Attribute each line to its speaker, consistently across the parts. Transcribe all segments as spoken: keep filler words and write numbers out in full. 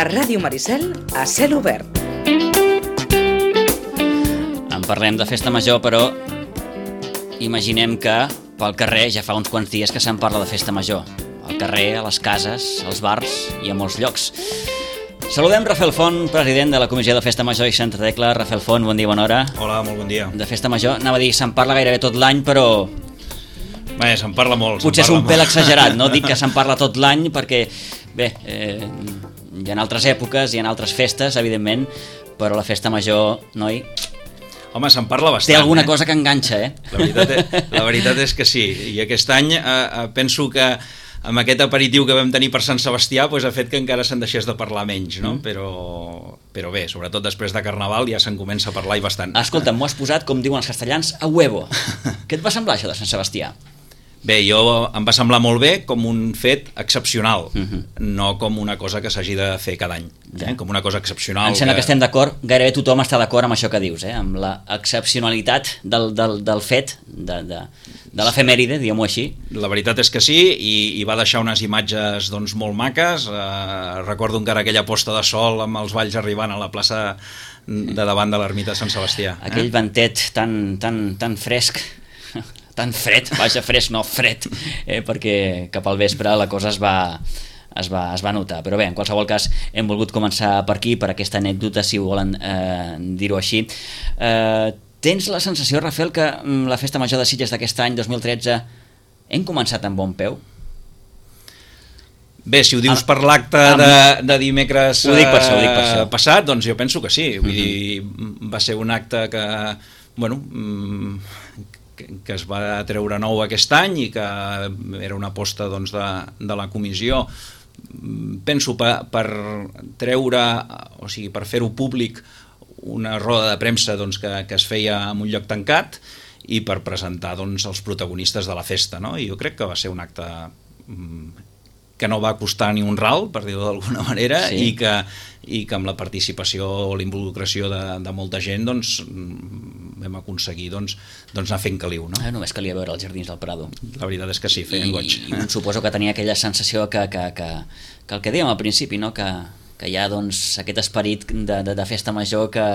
Speaker 1: Ràdio Maricel, a cel obert.
Speaker 2: En parlem de festa major, però imaginem que pel carrer ja fa uns quants dies que se'n parla de festa major. Al carrer, a les cases, als bars i a molts llocs. Saludem Rafael Font, president de la Comissió de Festa Major i Santa Tecla. Rafael Font, bon dia, bona hora.
Speaker 3: Hola, molt bon dia.
Speaker 2: De festa major, anava a dir, se'n parla gairebé tot l'any, però...
Speaker 3: Bé, se'n parla molt.
Speaker 2: Potser és un
Speaker 3: molt.
Speaker 2: pèl exagerat, no? Dic que se'n parla tot l'any perquè, bé, eh, hi ha altres èpoques, hi ha altres festes, evidentment, però la festa major, noi...
Speaker 3: Home, se'n parla bastant.
Speaker 2: Té alguna
Speaker 3: eh?
Speaker 2: cosa que enganxa, eh?
Speaker 3: La veritat, és, la veritat és que sí. I aquest any eh, penso que amb aquest aperitiu que vam tenir per Sant Sebastià pues, ha fet que encara se'n deixés de parlar menys, no? Mm. Però, però bé, sobretot després de Carnaval ja se'n comença a parlar i bastant.
Speaker 2: Escolta, m'ho has posat, com diuen els castellans, a huevo. Què et va semblar això de Sant Sebastià?
Speaker 3: Bé, jo em va semblar molt bé com un fet excepcional,
Speaker 2: uh-huh.
Speaker 3: no com una cosa que s'hagi de fer cada any, eh? Com una cosa excepcional.
Speaker 2: Em sembla que...
Speaker 3: que
Speaker 2: estem d'acord, gairebé tothom està d'acord amb això que dius, eh? Amb la excepcionalitat del, del, del fet, de, de, de l'efemèride, diguem-ho així.
Speaker 3: La veritat és que sí, i, i va deixar unes imatges doncs, molt maques. Eh, recordo encara aquella posta de sol amb els balls arribant a la plaça de davant de l'ermita de Sant Sebastià. Eh?
Speaker 2: Aquell ventet tan, tan, tan fresc, tan fred, vaja, fresc, no fred, eh, perquè cap al vespre la cosa es va, es, va, es va notar. Però bé, en qualsevol cas, hem volgut començar per aquí, per aquesta anècdota, si volen eh, dir-ho així. Eh, tens la sensació, Rafael, que la festa major de Sitges d'aquest any, dos mil tretze, hem començat amb bon peu?
Speaker 3: Bé, si ho dius per l'acte de, de dimecres
Speaker 2: ho dic per això, ho dic per això.
Speaker 3: passat, doncs jo penso que sí. Vull uh-huh. dir, va ser un acte que, bueno, que, que es va treure nou aquest any i que era una aposta doncs, de, de la comissió. Penso per, per treure, o sigui, per fer-ho públic, una roda de premsa doncs, que, que es feia en un lloc tancat i per presentar doncs, els protagonistes de la festa, no? I jo crec que va ser un acte que no va costar ni un ral, per dir-ho d'alguna manera, sí. i, que, i que amb la participació o l'involucració de, de molta gent doncs, vam aconseguir doncs, doncs anar fent caliu. No?
Speaker 2: Eh, només calia veure els jardins del Prado.
Speaker 3: La veritat és que sí, feien goig.
Speaker 2: I, i suposo que tenia aquella sensació que, que, que, que el que dèiem al principi, no? que, que hi ha doncs, aquest esperit de, de, de festa major que...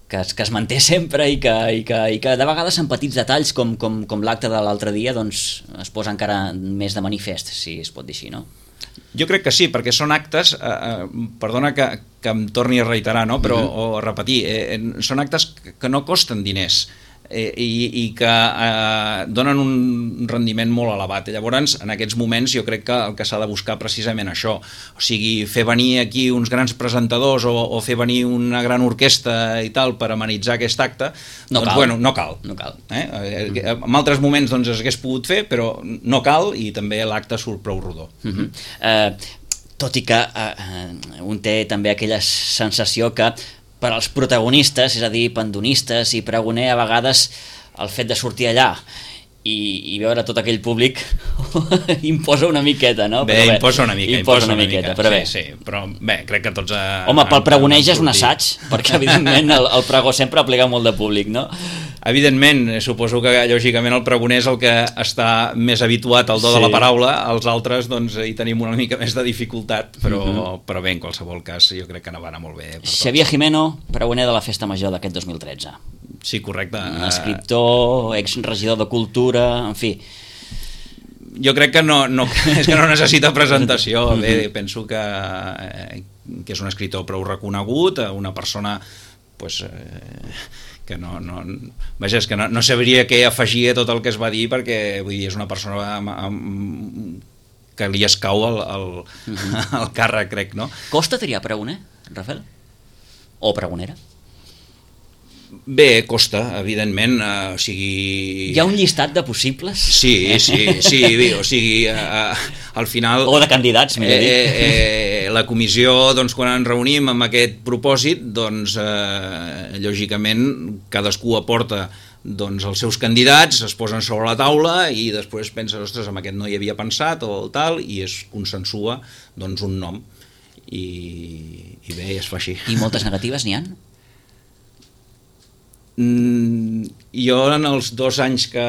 Speaker 2: Que es, que es manté sempre i que, i que, i que de vegades en petits detalls com, com, com l'acte de l'altre dia doncs, es posa encara més de manifest, si es pot dir així, no?
Speaker 3: Jo crec que sí, perquè són actes, eh, perdona que, que em torni a reiterar, no? Però, uh-huh. o a repetir, eh, són actes que no costen diners, eh, i, i que eh, donen un rendiment molt elevat. Llavors, en aquests moments, jo crec que el que s'ha de buscar precisament això, o sigui, fer venir aquí uns grans presentadors o, o fer venir una gran orquestra i tal per amenitzar aquest acte,
Speaker 2: no
Speaker 3: doncs,
Speaker 2: cal.
Speaker 3: bueno, no cal.
Speaker 2: No cal.
Speaker 3: Eh? En altres moments doncs, es hagués pogut fer, però no cal i també l'acte surt prou rodó.
Speaker 2: Uh-huh. uh, tot i que uh, un té també aquella sensació que per als protagonistes, és a dir, pandonistes i pregoner, a vegades el fet de sortir allà i, i veure tot aquell públic imposa una miqueta, no?
Speaker 3: Bé,
Speaker 2: però bé
Speaker 3: imposa una mica.
Speaker 2: Imposa una, una miqueta,
Speaker 3: mica,
Speaker 2: però bé.
Speaker 3: Sí, sí, però bé, crec que tots... A,
Speaker 2: Home, pel pregoner ja és un assaig, perquè evidentment el, el pregó sempre aplega molt de públic, no?
Speaker 3: Evidentment, suposo que lògicament el pregoner és el que està més habituat al do sí. de la paraula, els altres doncs hi tenim una mica més de dificultat, però, uh-huh. però bé, en qualsevol cas jo crec que no va anar molt bé.
Speaker 2: Xavier Jimeno, pregoner de la Festa Major d'aquest dos mil tretze.
Speaker 3: Sí, correcte.
Speaker 2: Un escriptor, exregidor de Cultura, en fi.
Speaker 3: Jo crec que no, no, és que no necessita presentació. Bé, penso que, que és un escriptor prou reconegut, una persona pues, eh, que no, no, vaja, és que no, no sabria què afegir a tot el que es va dir, perquè vull dir, és una persona amb, amb, que li escau el, el, uh-huh. el càrrec, crec, no?
Speaker 2: Costa triar pregoner, Rafael? O pregonera?
Speaker 3: Bé, costa, evidentment, uh, o sigui...
Speaker 2: Hi ha un llistat de possibles?
Speaker 3: Sí, sí, sí, bé, o sigui, uh, al final...
Speaker 2: O de candidats, millor dit.
Speaker 3: Eh, eh, la comissió, doncs, quan ens reunim amb aquest propòsit, doncs, eh, lògicament, cadascú aporta doncs, els seus candidats, es posen sobre la taula i després penses, ostres, amb aquest no hi havia pensat o tal, i es consensua, doncs, un nom. I, i bé, es fa així.
Speaker 2: I moltes negatives n'hi ha?
Speaker 3: Mm, jo en els dos anys que,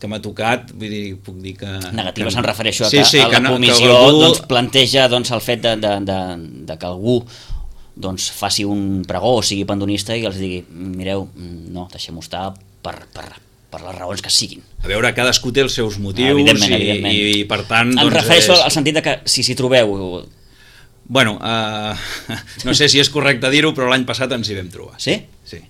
Speaker 3: que m'ha tocat, vull dir, puc dir que...
Speaker 2: Negatives
Speaker 3: que,
Speaker 2: em refereixo a
Speaker 3: sí,
Speaker 2: que
Speaker 3: sí,
Speaker 2: a la
Speaker 3: que no,
Speaker 2: comissió
Speaker 3: que algú...
Speaker 2: doncs, planteja doncs, el fet de, de, de, de que algú doncs, faci un pregó o sigui pandonista i els digui, mireu, no, deixem-ho estar per, per, per les raons que siguin.
Speaker 3: A veure, cadascú té els seus motius
Speaker 2: evidentment,
Speaker 3: i,
Speaker 2: evidentment.
Speaker 3: i per tant...
Speaker 2: Em
Speaker 3: doncs,
Speaker 2: refereixo
Speaker 3: és...
Speaker 2: al sentit de que si s'hi trobeu...
Speaker 3: Bueno, uh, no sé si és correcte dir-ho, però l'any passat ens hi vam trobar.
Speaker 2: Sí?
Speaker 3: Sí.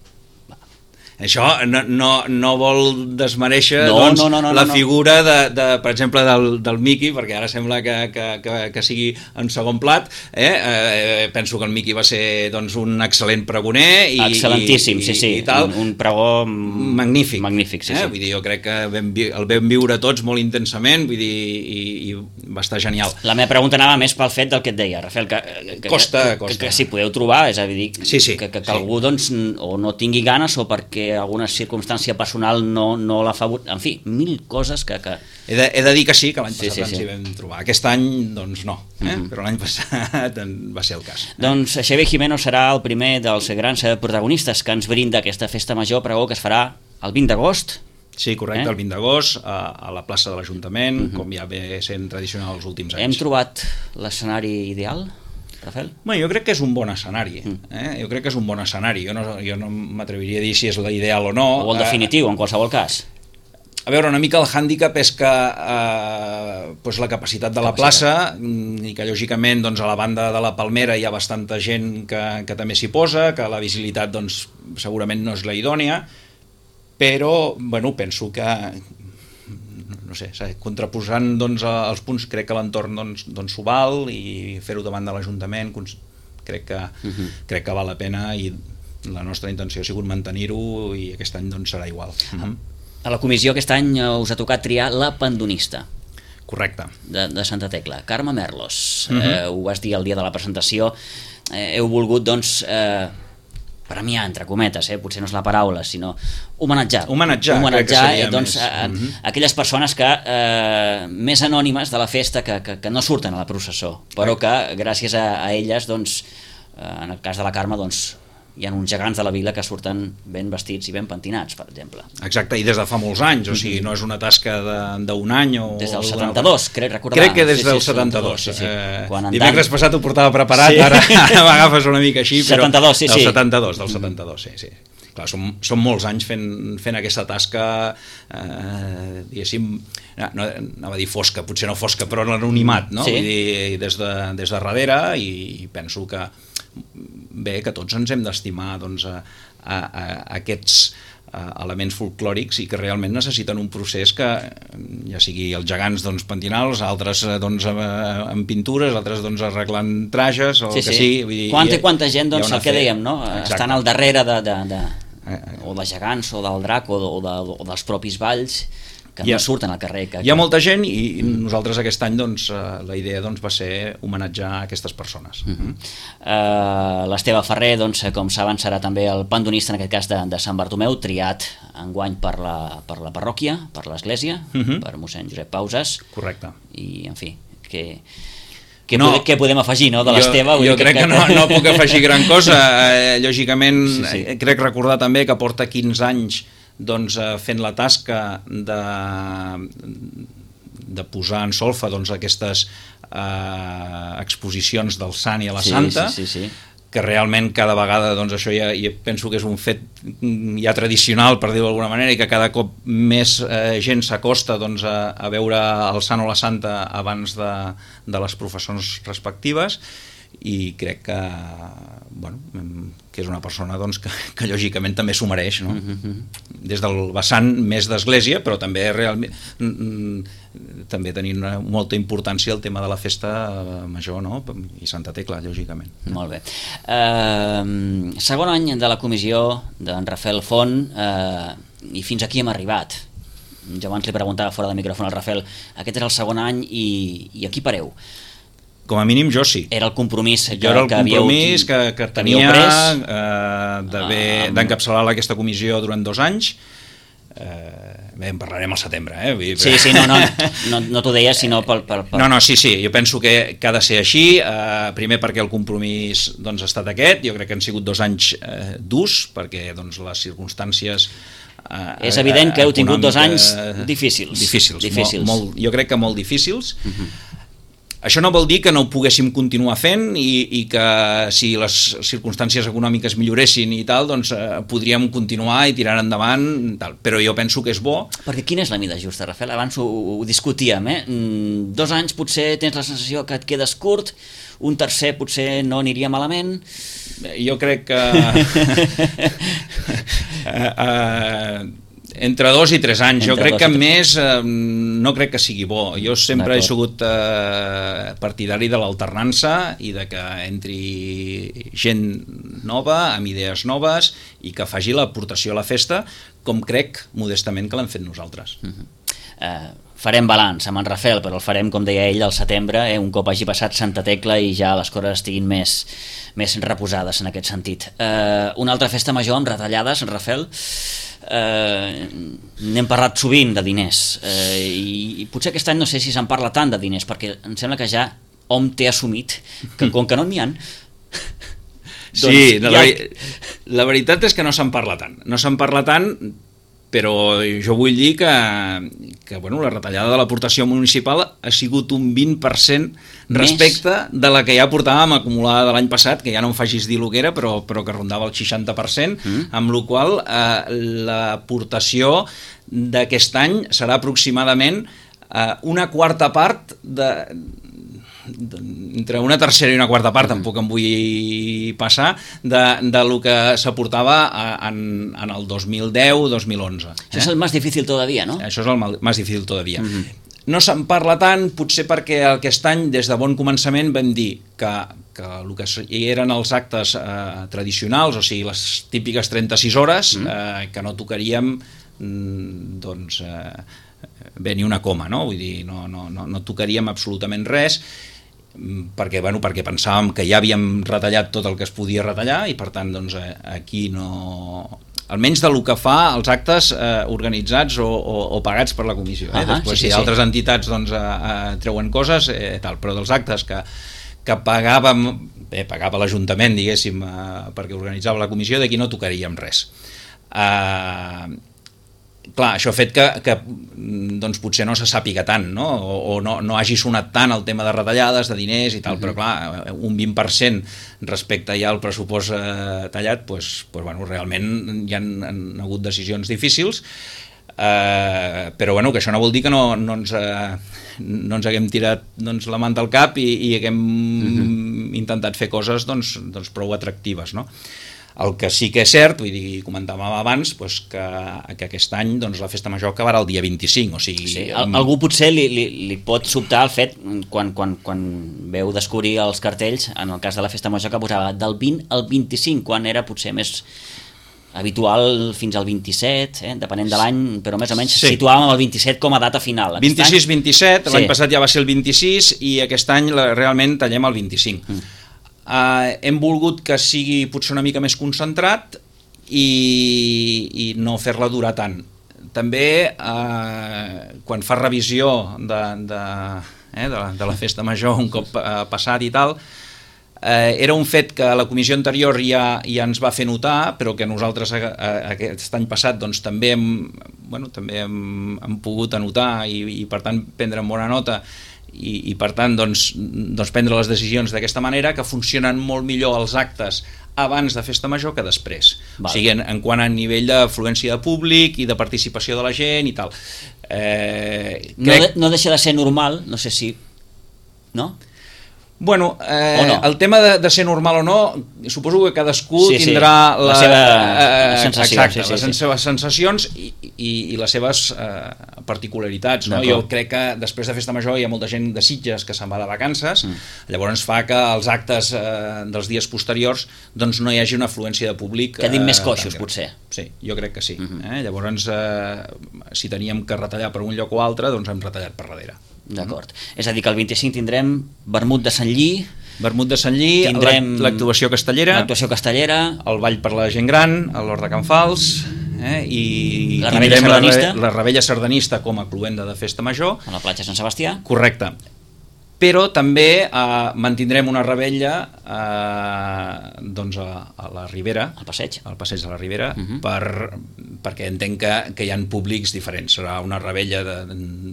Speaker 3: Això no, no, no vol desmereixer
Speaker 2: no,
Speaker 3: doncs,
Speaker 2: no, no, no,
Speaker 3: la
Speaker 2: no.
Speaker 3: figura, de, de, per exemple, del, del Miqui, perquè ara sembla que, que, que, que sigui en segon plat. Eh? Eh, penso que el Miqui va ser doncs, un excel·lent pregoner. I,
Speaker 2: Excel·lentíssim,
Speaker 3: i,
Speaker 2: sí, sí.
Speaker 3: I tal.
Speaker 2: Un, un pregó
Speaker 3: magnífic.
Speaker 2: Magnífic, sí,
Speaker 3: eh?
Speaker 2: sí.
Speaker 3: Vull dir, jo crec que vam, el vam viure tots molt intensament, vull dir, i, i va estar genial.
Speaker 2: La meva pregunta anava més pel fet del que et deia, Rafael, que, que,
Speaker 3: costa,
Speaker 2: que,
Speaker 3: costa.
Speaker 2: que, que si podeu trobar, és a dir,
Speaker 3: sí, sí,
Speaker 2: que, que, que
Speaker 3: sí.
Speaker 2: algú doncs, o no tingui ganes o perquè alguna circumstància personal no, no l'ha favorit, en fi, mil coses que... que...
Speaker 3: He, de, he de dir que sí, que l'any
Speaker 2: sí,
Speaker 3: passat
Speaker 2: sí,
Speaker 3: ens
Speaker 2: sí.
Speaker 3: hi vam trobar. Aquest any, doncs no, eh? Mm-hmm. Però l'any passat va ser el cas. Eh?
Speaker 2: Doncs Xavier Jimeno serà el primer dels grans protagonistes que ens brinda aquesta festa major pregó que es farà el vint d'agost.
Speaker 3: Sí, correcte, eh? El vint d'agost a, a la plaça de l'Ajuntament, mm-hmm. com ja ve sent tradicional els últims anys.
Speaker 2: Hem trobat l'escenari ideal, Rafael?
Speaker 3: Bueno, jo crec que és un bon escenari. Eh? Jo crec que és un bon escenari. Jo no, jo no m'atreviria a dir si és l'ideal o no.
Speaker 2: O el definitiu, en qualsevol cas.
Speaker 3: A veure, una mica el hàndicap és que eh, doncs la capacitat de la plaça, i que lògicament doncs, a la banda de la Palmera hi ha bastanta gent que, que també s'hi posa, que la visibilitat doncs, segurament no és la idònia, però bueno, penso que no sé, contraposant doncs, els punts, crec que l'entorn doncs, doncs s'ho val, i fer-ho davant de l'Ajuntament crec que, uh-huh. crec que val la pena, i la nostra intenció ha sigut mantenir-ho, i aquest any doncs, serà igual. Uh-huh.
Speaker 2: A la comissió aquest any us ha tocat triar la pandonista.
Speaker 3: Correcte.
Speaker 2: De, de Santa Tecla, Carme Merlos.
Speaker 3: Uh-huh.
Speaker 2: eh, ho vas dir el dia de la presentació, eh, heu volgut doncs eh, premiar, entre cometes, eh? Potser no és la paraula, sinó homenatjar.
Speaker 3: Homenatjar,
Speaker 2: homenatjar
Speaker 3: crec que seria
Speaker 2: doncs,
Speaker 3: més.
Speaker 2: a, a,
Speaker 3: uh-huh.
Speaker 2: aquelles persones que eh, més anònimes de la festa, que, que, que no surten a la processó, però que gràcies a, a elles, doncs, eh, en el cas de la Carme, doncs, hi ha uns gegants de la vila que surten ben vestits i ben pentinats, per exemple.
Speaker 3: Exacte, i des de fa molts anys, o sigui, no és una tasca d'un any o...
Speaker 2: Des del setanta-dos, crec recordar.
Speaker 3: Crec que des
Speaker 2: sí,
Speaker 3: del
Speaker 2: sí,
Speaker 3: setanta-dos.
Speaker 2: Sí, sí.
Speaker 3: Eh,
Speaker 2: Quan
Speaker 3: dimecres
Speaker 2: Dan...
Speaker 3: passat ho portava preparat, sí. Ara, ara m'agafes una mica així, però...
Speaker 2: setanta-dos, sí,
Speaker 3: del
Speaker 2: sí.
Speaker 3: setanta-dos, del setanta-dos, sí, sí. Clar, són, són molts anys fent, fent aquesta tasca, eh, diguéssim, no, no, anava a dir fosca, potser no fosca, però l'anonimat, no?
Speaker 2: Sí.
Speaker 3: Vull dir, des de, des de darrere, i penso que bé, que tots ens hem d'estimar doncs, a, a, a aquests a elements folclòrics, i que realment necessiten un procés que, ja sigui els gegants doncs, pentinals, altres doncs, amb pintures, altres doncs, arreglant trajes, o
Speaker 2: sí,
Speaker 3: el que
Speaker 2: sí.
Speaker 3: sigui. Vull dir,
Speaker 2: quanta i quanta gent, doncs, el que
Speaker 3: fe...
Speaker 2: dèiem, no?
Speaker 3: Exacte.
Speaker 2: Estan al darrere de, de, de, o de gegants, o del drac, o, de, o, de, o dels propis balls, que no
Speaker 3: ha,
Speaker 2: surten al carrer. Que,
Speaker 3: hi ha molta gent, i nosaltres aquest any doncs, la idea doncs, va ser homenatjar aquestes persones.
Speaker 2: Uh-huh. uh, L'Esteve Ferrer, doncs, com saben, serà també el pandonista, en aquest cas de, de Sant Bartomeu, triat enguany per la, per la parròquia, per l'església, uh-huh. per mossèn Josep Pauses.
Speaker 3: Correcte.
Speaker 2: I, en fi, que... Què,
Speaker 3: no,
Speaker 2: podem, què podem afegir, no, de l'Esteve?
Speaker 3: Jo, jo crec que, que no, no puc afegir gran cosa. Eh, lògicament,
Speaker 2: sí, sí.
Speaker 3: crec recordar també que porta quinze anys doncs, fent la tasca de, de posar en solfa doncs, aquestes eh, exposicions del sant i a la
Speaker 2: sí,
Speaker 3: santa,
Speaker 2: sí, sí, sí.
Speaker 3: que realment cada vegada doncs, això ja, ja penso que és un fet ja tradicional, per dir-ho d'alguna manera, i que cada cop més eh, gent s'acosta doncs, a, a veure el sant o la santa abans de, de les professions respectives, i crec que, bueno, que és una persona doncs, que, que lògicament també s'ho mereix, no? Uh-huh. Des del vessant més d'església, però també realment també tenint una, molta importància el tema de la festa major, no? I Santa Tecla, lògicament.
Speaker 2: Molt bé. Uh, segon any de la comissió d'en Rafael Font, uh, i fins aquí hem arribat. Jo abans li preguntava fora de micròfon al Rafael, aquest és el segon any i, i aquí pareu.
Speaker 3: Com a mínim jo sí.
Speaker 2: Era el compromís que,
Speaker 3: jo era el
Speaker 2: que
Speaker 3: compromís
Speaker 2: havíeu,
Speaker 3: que, que tenia eh, d'encapçalar aquesta comissió durant dos anys, eh, Bé, en parlarem al setembre, eh? Vull dir,
Speaker 2: Sí, sí, no, no, no, no t'ho deies, sinó pel, pel, pel...
Speaker 3: No, no, sí, sí, jo penso que, que ha de ser així, eh, primer perquè el compromís doncs, ha estat aquest, jo crec que han sigut dos anys eh, durs, perquè doncs, les circumstàncies... Eh,
Speaker 2: És evident que heu tingut dos anys difícils.
Speaker 3: Difícils,
Speaker 2: difícils.
Speaker 3: Molt, molt, jo crec que molt difícils. Uh-huh. Això no vol dir que no ho poguéssim continuar fent i, i que si les circumstàncies econòmiques milloressin i tal, doncs eh, podríem continuar i tirar endavant, tal. Però jo penso que és bo.
Speaker 2: Perquè quina és la mida justa, Rafael? Abans ho, ho discutíem, eh? Mm, dos anys potser tens la sensació que et quedes curt, un tercer potser no aniria malament...
Speaker 3: Jo crec que... uh, uh, entre dos i tres anys, jo crec que més eh, no crec que sigui bo. Jo sempre he sigut eh, partidari de l'alternança i de que entri gent nova, amb idees noves i que faci l'aportació a la festa, com crec modestament que l'hem fet nosaltres.
Speaker 2: Uh-huh. Uh, farem balanç amb en Rafael, però el farem, com deia ell, al setembre, eh, un cop hagi passat Santa Tecla i ja les coses estiguin més, més reposades en aquest sentit. Uh, una altra festa major amb retallades, Rafael. Uh, n'hem parlat sovint de diners uh, i, i potser aquest any no sé si se'n parla tant de diners, perquè em sembla que ja hom té assumit que com que no n'hi ha
Speaker 3: sí, doncs, la, ja... la veritat és que no se'n parla tant no se'n parla tant però jo vull dir que, que bueno, la retallada de l'aportació municipal ha sigut un vint per cent respecte Més? de la que ja portàvem acumulada de l'any passat, que ja no em facis dir el que era, però, però que rondava el seixanta per cent, mm. amb la qual cosa eh, l'aportació d'aquest any serà aproximadament eh, una quarta part de... entre una tercera i una quarta part, tampoc em vull passar, de, de lo que s'aportava en, en el dos mil deu dos mil onze.
Speaker 2: Això eh? és el més difícil todavía, no?
Speaker 3: Això és el més difícil todavía.
Speaker 2: Mm-hmm.
Speaker 3: No se'n parla tant, potser perquè aquest any, des de bon començament, vam dir que, que el que eren els actes eh, tradicionals, o sigui, les típiques trenta-sis hores, mm. eh, que no tocaríem doncs, eh, bé ni una coma, no? Vull dir, no, no, no, no tocaríem absolutament res, perquè, bueno, perquè pensàvem que ja havíem retallat tot el que es podia retallar i per tant doncs, aquí no... almenys del que fa els actes eh, organitzats o, o, o pagats per la comissió. Eh?
Speaker 2: Ah,
Speaker 3: Després
Speaker 2: sí, sí,
Speaker 3: si altres
Speaker 2: sí.
Speaker 3: entitats doncs, eh, eh, treuen coses, eh, tal, però dels actes que, que pagàvem, bé, pagava l'Ajuntament, diguéssim, eh, perquè organitzava la comissió, d'aquí no tocaríem res. Eh... Clar, això ha fet que, que doncs, potser no se sàpiga tant, no? O, o no, no hagi sonat tant el tema de retallades, de diners i tal, uh-huh. però clar, un vint per cent respecte ja al pressupost eh, tallat, doncs, doncs, bueno, realment hi han, han hagut decisions difícils, eh, però bueno, que això no vol dir que no, no, ens, eh, no ens haguem tirat doncs, la manta al cap i, i haguem uh-huh. intentat fer coses doncs, doncs, prou atractives, no? El que sí que és cert, vull dir, comentàvem abans, doncs que, que aquest any doncs, la festa major acabarà el dia vint-i-cinc, o sigui...
Speaker 2: Sí, amb... Algú potser li, li, li pot sobtar el fet, quan, quan, quan veu descobrir els cartells, en el cas de la festa major, que posava del vint al vint-i-cinc, quan era potser més habitual fins al vint-i-set, eh, depenent de l'any, però més o menys sí. situàvem el vint-i-set com a data final.
Speaker 3: vint-i-sis vint-i-set, l'any sí. passat ja va ser el vint-i-sis i aquest any la, realment tallem el vint-i-cinc. Mm. Uh, hem volgut que sigui potser una mica més concentrat i, i no fer-la durar tant. També uh, quan fa revisió de, de, eh, de, la, de la festa major un cop uh, passat i tal, uh, era un fet que la comissió anterior ja, ja ens va fer notar, però que nosaltres uh, aquest any passat doncs, també, hem, bueno, també hem, hem pogut anotar i, i per tant prendre en bona nota i, i per tant doncs, doncs prendre les decisions d'aquesta manera, que funcionen molt millor els actes abans de festa major que després. Val. O sigui, en, en quant a nivell d'afluència de públic i de participació de la gent i tal. Eh,
Speaker 2: no, crec... de, no deixa de ser normal, no sé si... no?
Speaker 3: Bueno, eh, no? el tema de, de ser normal o no, suposo que cadascú sí, tindrà
Speaker 2: sí. la, la seva eh, sensació,
Speaker 3: exacte,
Speaker 2: sí, sí,
Speaker 3: les
Speaker 2: sí.
Speaker 3: seves sensacions i, i, i les seves eh, particularitats. No? Jo crec que després de festa major hi ha molta gent de Sitges que se'n va de vacances, mm. llavors fa que els actes eh, dels dies posteriors doncs no hi hagi una afluència de públic.
Speaker 2: Quedin
Speaker 3: eh,
Speaker 2: més coixos, potser.
Speaker 3: Sí, jo crec que sí.
Speaker 2: Mm-hmm.
Speaker 3: eh? Llavors, eh, si teníem que retallar per un lloc o altre, doncs hem retallat per darrere.
Speaker 2: D'acord. Mm. És a dir, que el vint-i-cinc tindrem vermut de Sant Lli,
Speaker 3: vermut de Sant Lli, tindrem l'actuació castellera,
Speaker 2: l'actuació castellera,
Speaker 3: el ball per la gent gran, a l'Hort de Can Fals, eh? I
Speaker 2: la Rebella
Speaker 3: tindrem la,
Speaker 2: Sardanista.
Speaker 3: la Rebella Sardanista com a cloenda de festa major.
Speaker 2: A la platja Sant Sebastià.
Speaker 3: Correcte. Però també eh, mantindrem una rebella eh, doncs a, a la Ribera,
Speaker 2: Al passeig.
Speaker 3: al passeig de la Ribera,
Speaker 2: Uh-huh.
Speaker 3: per, perquè entenc que, que hi ha públics diferents. Serà una rebella de,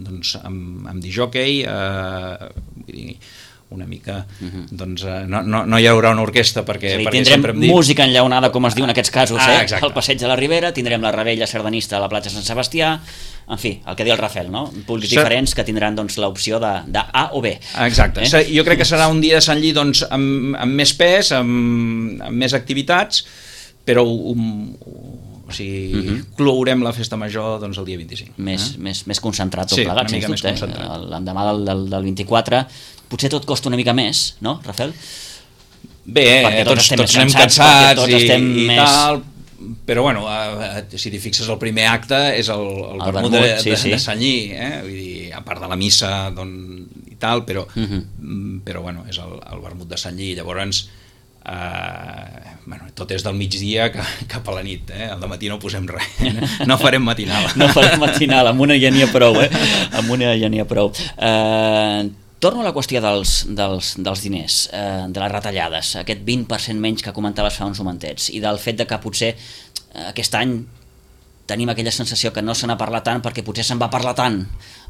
Speaker 3: doncs, amb, amb disjòquei, eh, vull dir, una mica, uh-huh. doncs eh, no, no, no hi haurà una orquestra perquè,
Speaker 2: És a dir,
Speaker 3: perquè
Speaker 2: tindrem
Speaker 3: sempre hem dit...
Speaker 2: música enllaunada, com es diu en aquests casos,
Speaker 3: Ah,
Speaker 2: eh?
Speaker 3: exacte.
Speaker 2: Al passeig de la Ribera, tindrem la Rebella Sardanista a la platja Sant Sebastià, en fi, el que diu el Rafel, no? Públics
Speaker 3: Ser...
Speaker 2: diferents que tindran doncs, l'opció de, de A o B.
Speaker 3: Exacte,
Speaker 2: Eh?
Speaker 3: jo crec que serà un dia de Sant Lli doncs, amb, amb més pes, amb, amb més activitats, però um, o sigui, uh-huh. clourem la festa major doncs, el dia vint-i-cinc.
Speaker 2: Més,
Speaker 3: eh?
Speaker 2: més, més concentrat tot
Speaker 3: Sí,
Speaker 2: plegat,
Speaker 3: una mica
Speaker 2: sens
Speaker 3: més
Speaker 2: dubte.
Speaker 3: concentrat.
Speaker 2: Eh? L'endemà del, del, del vint-i-quatre potser tot costa una mica més, no, Rafel?
Speaker 3: Bé,
Speaker 2: Perquè
Speaker 3: eh,
Speaker 2: tots
Speaker 3: tots,
Speaker 2: estem
Speaker 3: tots
Speaker 2: més
Speaker 3: anem
Speaker 2: cansats,
Speaker 3: cansats
Speaker 2: perquè tots
Speaker 3: i,
Speaker 2: estem
Speaker 3: i
Speaker 2: més-
Speaker 3: tal, però bueno, eh, si t'hi fixes el primer acte és el, el,
Speaker 2: El
Speaker 3: vermut
Speaker 2: vermut,
Speaker 3: de,
Speaker 2: sí,
Speaker 3: de,
Speaker 2: sí.
Speaker 3: de Sant Lli, eh? Vull dir, a part de la missa doncs, i tal, però,
Speaker 2: Mhm.
Speaker 3: mm, però bueno, és el, el vermut de Sant Lli, llavors eh, bueno, tot és del migdia cap a la nit, eh? Al matí no posem res, no farem matinal.
Speaker 2: No farem matinal, amb una ja n'hi ha prou, eh? Amb una ja n'hi ha prou. Eh, torno a la qüestió dels, dels, dels diners, eh, de les retallades, aquest vint per cent menys que comentaves fa uns momentets, i del fet de que potser eh, aquest any tenim aquella sensació que no se n'ha parlat tant perquè potser se'n va parlar tant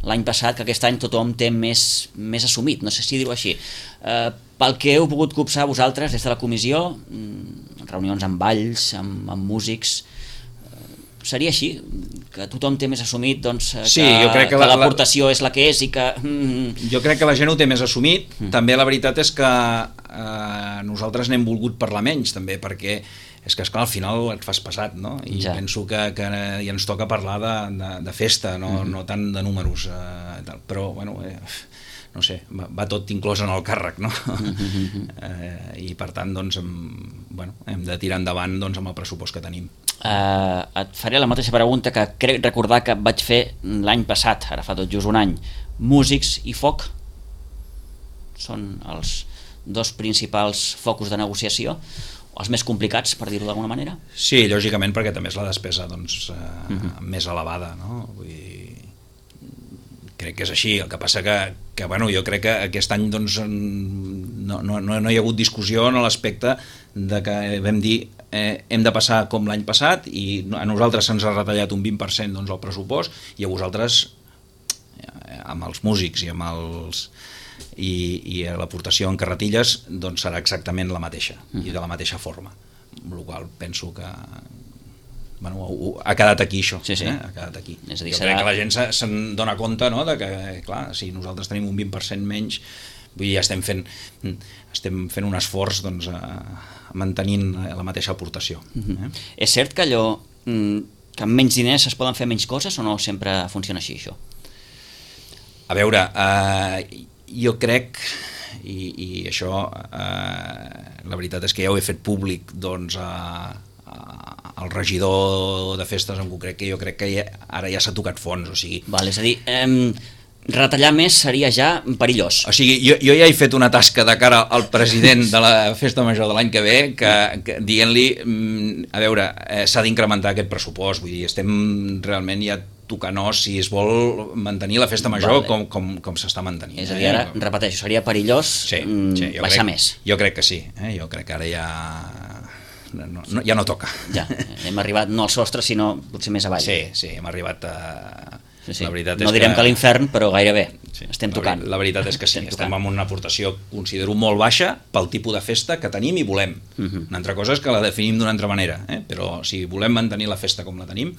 Speaker 2: l'any passat que aquest any tothom té més, més assumit, no sé si dir-ho així. Eh, pel que heu pogut copsar vosaltres des de la comissió, mm, reunions amb balls, amb, amb músics, eh, seria així, que tothom té més assumit doncs, eh,
Speaker 3: Sí,
Speaker 2: que,
Speaker 3: jo crec que
Speaker 2: que
Speaker 3: la-
Speaker 2: l'aportació és la que és i que... Mm,
Speaker 3: Jo crec que la gent ho té més assumit. Mm. També la veritat és que eh, nosaltres n'hem volgut parlar menys, també, perquè és que, esclar, al final et fas passat, no? I
Speaker 2: Ja.
Speaker 3: penso que, que ja ens toca parlar de, de, de festa, no, mm-hmm. no tant de números. Eh, tal. Però, bueno, eh, no sé, va, va tot inclòs en el càrrec, no? Mm-hmm. eh, I, per tant, doncs, hem, bueno, hem de tirar endavant doncs, amb el pressupost que tenim.
Speaker 2: Uh, et faré la mateixa pregunta que crec recordar que vaig fer l'any passat, ara fa tot just un any. Músics i foc són els dos principals focus de negociació, els més complicats, per dir-ho d'alguna manera?
Speaker 3: Sí, lògicament, perquè també és la despesa doncs, eh,
Speaker 2: Mhm.
Speaker 3: més elevada, no? Vull dir, crec que és així. El que passa que, que bueno, jo crec que aquest any doncs, no, no, no hi ha hagut discussió en l'aspecte de que vam dir eh, hem de passar com l'any passat i a nosaltres se'ns ha retallat un vint per cent doncs, el pressupost i a vosaltres eh, amb els músics i amb els i, i l'aportació en carretilles doncs serà exactament la mateixa mm. i de la mateixa forma, amb la qual penso que bueno, ha quedat aquí això,
Speaker 2: sí, sí.
Speaker 3: Eh? ha quedat aquí.
Speaker 2: És a dir,
Speaker 3: jo
Speaker 2: serà...
Speaker 3: crec que la gent se'n se dona compte, no? De que clar, si nosaltres tenim un vint per cent menys, vull dir, ja estem fent estem fent un esforç doncs, a, mantenint la mateixa aportació.
Speaker 2: Mm-hmm.
Speaker 3: eh?
Speaker 2: És cert que allò que amb menys diners es poden fer menys coses o no sempre funciona així això?
Speaker 3: A veure, eh, jo crec i, i això eh, la veritat és que ja ho he fet públic doncs a, a, al regidor de festes en concret, que jo crec que ja, ara ja s'ha tocat fons, o sigui...
Speaker 2: Val, és a dir, eh, retallar més seria ja perillós.
Speaker 3: O sigui, jo, jo ja he fet una tasca de cara al president de la festa major de l'any que ve, que, que dient-li, a veure, eh, s'ha d'incrementar aquest pressupost, vull dir, estem realment ja tocant os si es vol mantenir la festa major vale. com, com, com s'està mantenint.
Speaker 2: És a dir, ara, eh? repeteixo, seria perillós
Speaker 3: sí, sí,
Speaker 2: baixar
Speaker 3: crec,
Speaker 2: més.
Speaker 3: Jo crec que sí, eh? jo crec que ara ja no, no, ja no toca.
Speaker 2: Ja, hem arribat no al sostre, sinó potser més avall.
Speaker 3: Sí, sí, hem arribat a...
Speaker 2: Sí, sí.
Speaker 3: La veritat
Speaker 2: no
Speaker 3: és
Speaker 2: direm que,
Speaker 3: que
Speaker 2: a l'infern, però gairebé. Sí. Estem
Speaker 3: la,
Speaker 2: tocant.
Speaker 3: La veritat és que sí,
Speaker 2: estem,
Speaker 3: estem amb una aportació, considero, molt baixa pel tipus de festa que tenim i volem. Uh -huh. Una altra cosa és que la definim d'una altra manera, eh? Però si volem mantenir la festa com la tenim,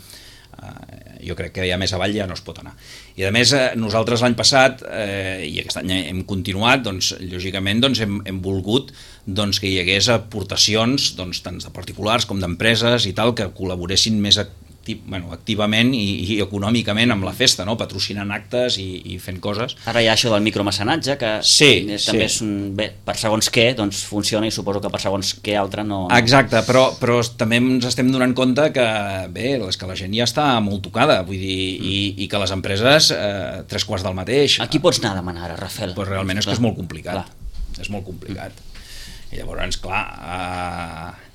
Speaker 3: eh, jo crec que ja més avall ja no es pot anar. I a més, eh, nosaltres l'any passat, eh, i aquest any hem continuat, doncs, lògicament doncs, hem, hem volgut doncs, que hi hagués aportacions doncs, tant de particulars com d'empreses i tal, que col·laboressin més activament Bueno, activament i, i econòmicament amb la festa, no? Patrocinant actes i, i fent coses.
Speaker 2: Ara hi ha això del micromecenatge, que
Speaker 3: sí,
Speaker 2: també
Speaker 3: sí.
Speaker 2: és un, bé, per segons què doncs funciona i suposo que per segons què altre no... no...
Speaker 3: Exacte, però, però també ens estem donant compte que bé, és que la gent ja està molt tocada, vull dir, mm. i, i que les empreses eh, tres quarts del mateix.
Speaker 2: A qui pots anar a demanar ara, Rafel?
Speaker 3: Pues realment és que és molt complicat.
Speaker 2: Clar.
Speaker 3: És molt complicat. Mm. I llavors, clar... Eh,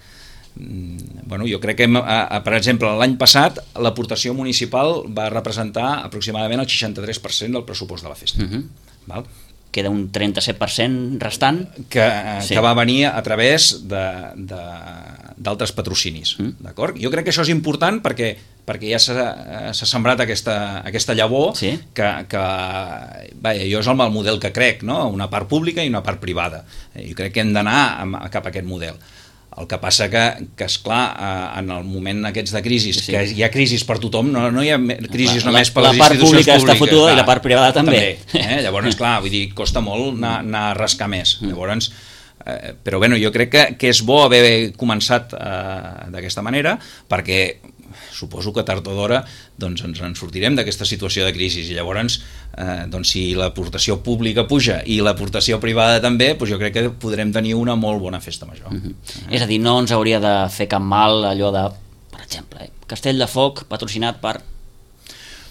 Speaker 3: bueno, jo crec que, per exemple, l'any passat l'aportació municipal va representar aproximadament el seixanta-tres per cent del pressupost de la festa.
Speaker 2: Uh-huh.
Speaker 3: Val?
Speaker 2: Queda un trenta-set per cent restant
Speaker 3: que,
Speaker 2: sí.
Speaker 3: que va venir a través d'altres patrocinis. Mm. D'acord? Jo crec que això és important perquè, perquè ja s'ha sembrat aquesta, aquesta llavor
Speaker 2: sí.
Speaker 3: que, que vaja, jo és el model que crec, no? Una part pública i una part privada. Jo crec que hem d'anar cap a aquest model. El que passa que, que esclar, en el moment aquests de crisi, sí, sí. que hi ha crisis per tothom, no, no hi ha crisis la, només per les institucions públiques.
Speaker 2: La part pública està fotuda i la part privada també.
Speaker 3: també eh? Llavors, esclar, vull dir, costa molt anar, anar a rascar més. Llavors, eh, però bueno, jo crec que, que és bo haver començat eh, d'aquesta manera, perquè suposo que tard o d'hora doncs, ens en sortirem d'aquesta situació de crisi i llavors eh, doncs, si l'aportació pública puja i l'aportació privada també, doncs jo crec que podrem tenir una molt bona festa major.
Speaker 2: Uh-huh. eh? És a dir, no ens hauria de fer cap mal allò de, per exemple, eh, Castell de Foc patrocinat per...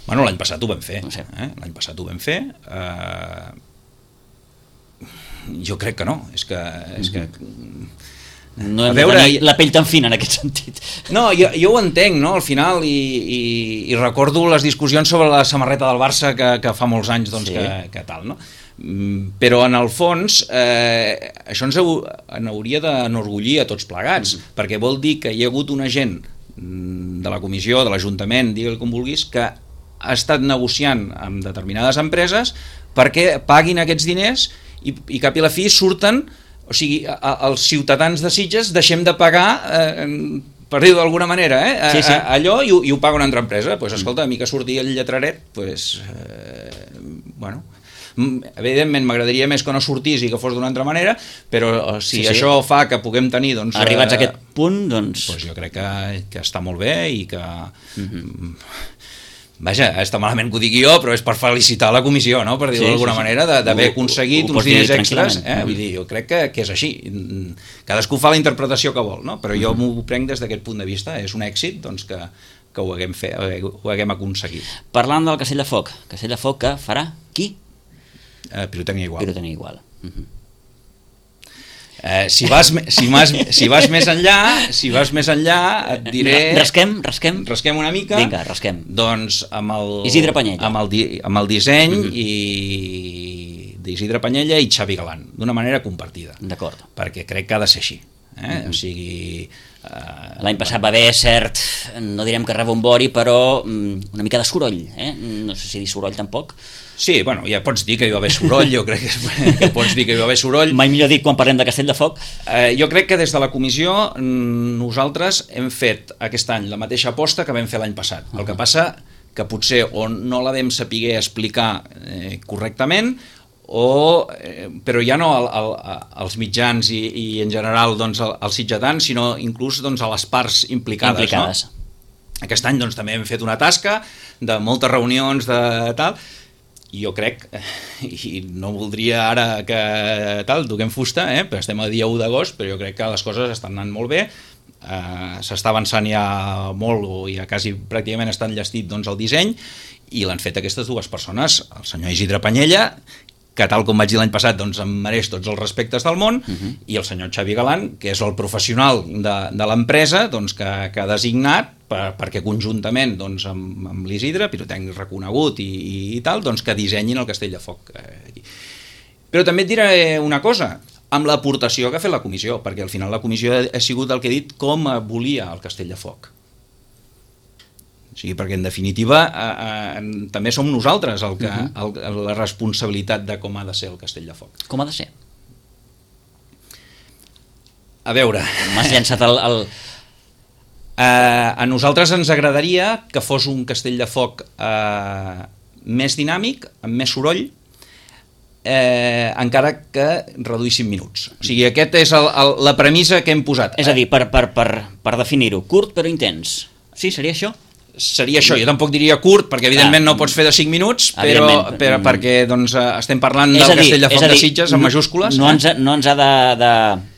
Speaker 3: Bueno, l'any passat ho vam fer.
Speaker 2: No sé.
Speaker 3: eh? L'any passat ho vam fer. Eh... Jo crec que no. És que... És que...
Speaker 2: No hem de tenir la pell tan fina en aquest sentit.
Speaker 3: No, jo, jo ho entenc, no? Al final, i, i, i recordo les discussions sobre la samarreta del Barça que, que fa molts anys doncs, sí. que, que tal, no? Però en el fons eh, això ens, heu, ens hauria d'enorgullir a tots plegats, mm. perquè vol dir que hi ha hagut una gent de la comissió, de l'Ajuntament, digue-li com vulguis, que ha estat negociant amb determinades empreses perquè paguin aquests diners i, i cap i la fi surten. O sigui, els ciutadans de Sitges deixem de pagar, eh, per dir-ho d'alguna manera, eh, sí, sí. A, allò i ho, i ho paga una altra empresa. Pues, escolta, a mi que surti el lletraret, pues, eh, bueno, evidentment m'agradaria més que no sortís i que fos d'una altra manera, però si sí, sí. això fa que puguem tenir... Doncs,
Speaker 2: arribats a aquest punt, doncs...
Speaker 3: doncs jo crec que, que està molt bé i que...
Speaker 2: Uh-huh.
Speaker 3: Vaja, està malament que ho digui jo, però és per felicitar la comissió, no? Per dir-ho sí, d'alguna sí, sí. manera, d'haver aconseguit ho, ho uns diners extras. Eh? Vull dir, jo crec que, que és així. Cadascú fa la interpretació que vol, no? Però jo m'ho prenc des d'aquest punt de vista. És un èxit doncs, que, que ho, haguem fet, ho haguem aconseguit.
Speaker 2: Parlant del Castell de Foc, Castell de Foc que farà qui?
Speaker 3: Eh, Pirotècnia Igual.
Speaker 2: Pirotècnia Igual. Uh-huh.
Speaker 3: Eh, si, vas, si, vas, si vas més enllà, si vas més enllà, et diré...
Speaker 2: Rasquem, rasquem.
Speaker 3: Rasquem una mica.
Speaker 2: Vinga, rasquem.
Speaker 3: Doncs amb el...
Speaker 2: Isidre Panyella.
Speaker 3: Amb el, di, amb el disseny uh-huh. i d'Isidre Panyella i Xavi Galan, d'una manera compartida.
Speaker 2: D'acord. Perquè
Speaker 3: crec que ha de ser així. Eh? Uh-huh. O sigui...
Speaker 2: Uh, L'any passat va haver cert, no direm que rebombori, però um, una mica de soroll, eh? No sé si dir soroll tampoc.
Speaker 3: Sí, bueno, ja pots dir que hi va haver soroll, jo crec que, que pots dir que hi va haver soroll.
Speaker 2: Mai millor dit quan parlem de Castell de Foc.
Speaker 3: Eh, jo crec que des de la comissió nosaltres hem fet aquest any la mateixa aposta que vam fer l'any passat. Uh-huh. El que passa que potser o no la vam saber explicar eh, correctament, o, eh, però ja no al, al, als mitjans i, i en general doncs, als sitgetans, sinó inclús doncs, a les parts implicades.
Speaker 2: implicades.
Speaker 3: No? Aquest any doncs, també hem fet una tasca de moltes reunions de tal, i jo crec, i no voldria ara que tal, toquem fusta, eh? Però estem a dia u d'agost, però jo crec que les coses estan anant molt bé, eh, s'està avançant ja molt, o ja quasi pràcticament està enllestit doncs, el disseny, i l'han fet aquestes dues persones, el senyor Isidre Panyella, que tal com vaig dir l'any passat doncs, em mereix tots els respectes del món, uh-huh. i el senyor Xavi Galan, que és el professional de, de l'empresa doncs, que, que ha designat per, perquè conjuntament doncs, amb, amb l'Isidre, pirotècnic reconegut i, i, i tal, doncs, que dissenyin el Castell de Foc. Però també et diré una cosa, amb l'aportació que ha fet la comissió, perquè al final la comissió ha sigut el que he dit com volia el Castell de Foc. O sigui, perquè en definitiva eh, eh, també som nosaltres el que, uh-huh. el, la responsabilitat de com ha de ser el Castell de Foc.
Speaker 2: Com ha de ser?
Speaker 3: A veure...
Speaker 2: M'has llançat el... el...
Speaker 3: Eh, a nosaltres ens agradaria que fos un Castell de Foc eh, més dinàmic, amb més soroll, eh, encara que reduïssin minuts. O sigui, aquest és el, el, la premissa que hem posat.
Speaker 2: És a dir, per, per, per, per definir-ho, curt però intens. Sí, seria això?
Speaker 3: Seria això, jo tampoc diria curt, perquè evidentment ah, no pots fer de cinc minuts, però, però perquè doncs, estem parlant del dir, Castell de Foc dir, de Sitges en majúscules.
Speaker 2: No, eh? ens, no ens ha de, de